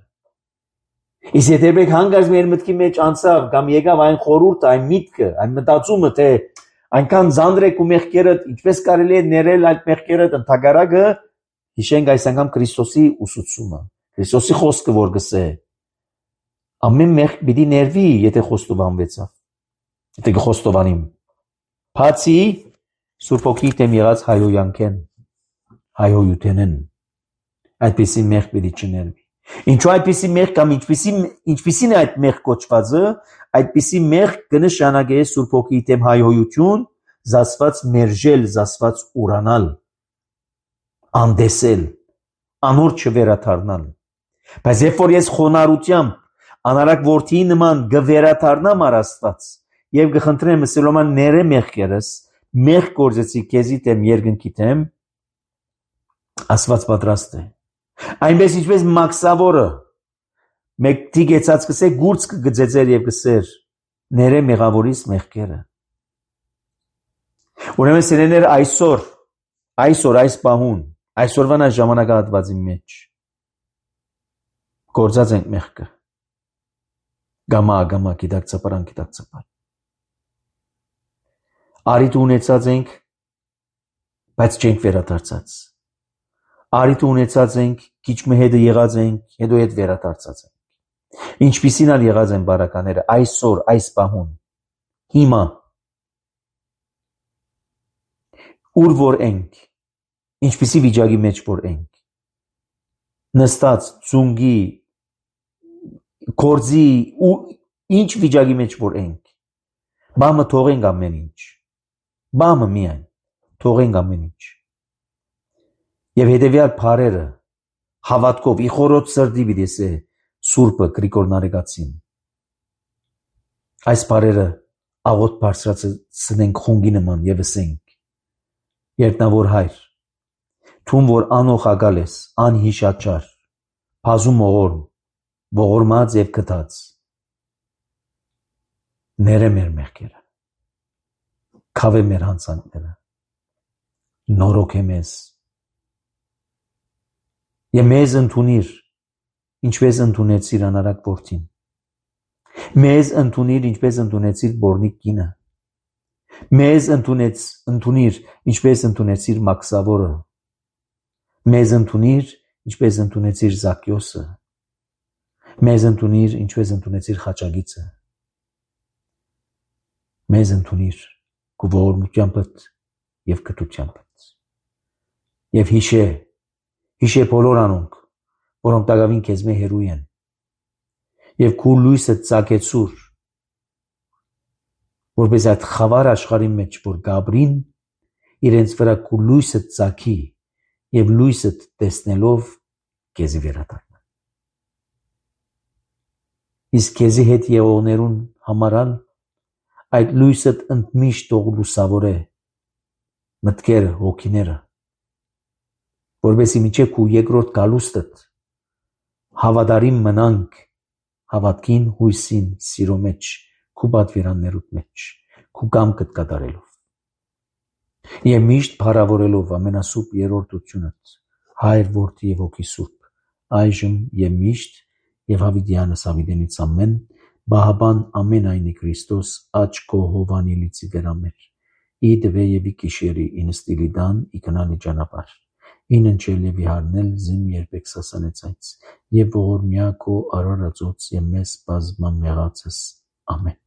B: Իսկ եթե մենք հանգած մեր մտքի մեջ անցավ կամ եկավ այն խորուրդը, այն միտքը, այն մտածումը, թե այնքան ծանր է ու մեղքերը, ինչպես կարելի է ներել այդ մեղքերը, ընդհակառակը հիշենք այս անգամ Քրիստոսի ուսուցումը, Քրիստոսի խոսքը, որ գսե ամեն մեղք պիտի ներվի, եթե խոստովանվեցավ, եթե կխոստովանիմ։ Բացի Սուրբ Հոգի դեմ եղած հայհոյութենեն, այդպիսի մեղք պիտի չներվի։ Ինչու այդպիսի մեղք կամ ինչպիսին է այդ մեղք կոչվածը, այդպիսի մեղք կնշանակե Սուրբ Հոգի դեմ հայհոյություն, զասված մերժել, զասված ուրանալ, անդեսել, անոր չվերաթարնալ։ Բայց երբ որ ես խոնարհությամբ անարակ որդի նման գվերաթարնամ Աստված եւ կխնդրեմ Սլոման ներե մեղքերս, մեղք գործեցի քեզի դեմ երկնքի դեմ, Աստված պատրաստ է։ Այնպես ինչպես մաքսավորը մեկ դիգեցած կսե գուրց կգծեր եւ կսեր ներե մեղավորիս մեղքերը։ Ուրեմն սիրելիներ, այսօր այս պահուն, այսօրվան այս ժամանակահատվածի մեջ գործած ենք մեղքը։ Գամա գիտակցապար։ Արիթ ունեցած ենք, բայց չենք վերադարձած։ Արիթ ունեցած ենք, քիչ մը հետը եղած ենք, հետո հետ վերադարձած ենք։ Ինչպիսին ալ եղած են բարակաները այսօր, այս պահուն, հիմա, ուր որ ենք, ինչպիսի վիճակի մեջ որ ենք, նստած, ծունգի, գործի, ու ինչ վիճակի մեջ որ ենք, բամը թողենք ամեն ինչ, բամը միայն, թողենք ամեն ինչ։ Եվ հետևյալ բարերը հավատքով իխորոտ սրդի վիդեսե Սուրբը Գրիգոր Նարեկացին։ Այս բարերը աղոտ բարձրացնենք խունգի նման եւ ասենք. Երտնավոր Հայր, թուն որ անող ակալ ես, անհիշաչար, բազում ողորմած եւ գտած, ներե մեր մեղքերը, քավե մեր հանցանքները, նորոգե մեզ եւ մեզ ընդունիր, ինչպես ընդունեցիր անարակ որդին, մեզ ընդունիր, ինչպես ընդունեցիր բորնիկ կինը, մեզ ընդունիր, ինչպես ընդունեցիր մաքսավորը, մեզ ընդունիր, ինչպես ընդունեցիր Զաքյոսը, մեզ ընդունիր, ինչպես ընդունեցիր Խաչագիծը, մեզ ընդունիր քո ողորմությանդ եւ կտությանդ եւ հիշե բոլոր անոնք, որոնք տակավին քեզ մե հերույ են եւ քո լույսը ծագեցուր, որպես այդ խավար աշխարհի մեջ որ գաբրին իրենց վրա քո լույսը ծագի եւ լույսը տեսնելով քեզի վերադառնա։ Իսկ քեզի հետ եղողներուն համարալ այդ լույսը ընդմիշտ թող լուսավորե մտքերը, հոգիները, որովհետեւ միջև քու երկրորդ գալուստդ հավատարիմ մնանք հավատքին, հույսին, սիրո մեջ, քու պատվիրաններուդ մեջ, քու կամքդ կատարելով եւ միշտ փառավորելով ամենասուրբ երրորդությունդ Հայր, Որդի եւ Հոգի Սուրբ, այժմ եւ միշտ եւ հավիտյանս հավիտենից ամեն, Բահաբան ամենայնի Քրիստոս աչքո հովանիլիցի վերամեր, ի դվե եւ ի կիշերի ինստիլիդան իքնալի ճանապարհ, ինընչել եւ իհարնել զիմ երբեք սասանեցայց եւ ողորմյա քո արարածոց եւ մեզ բազմամեղացս ամեն։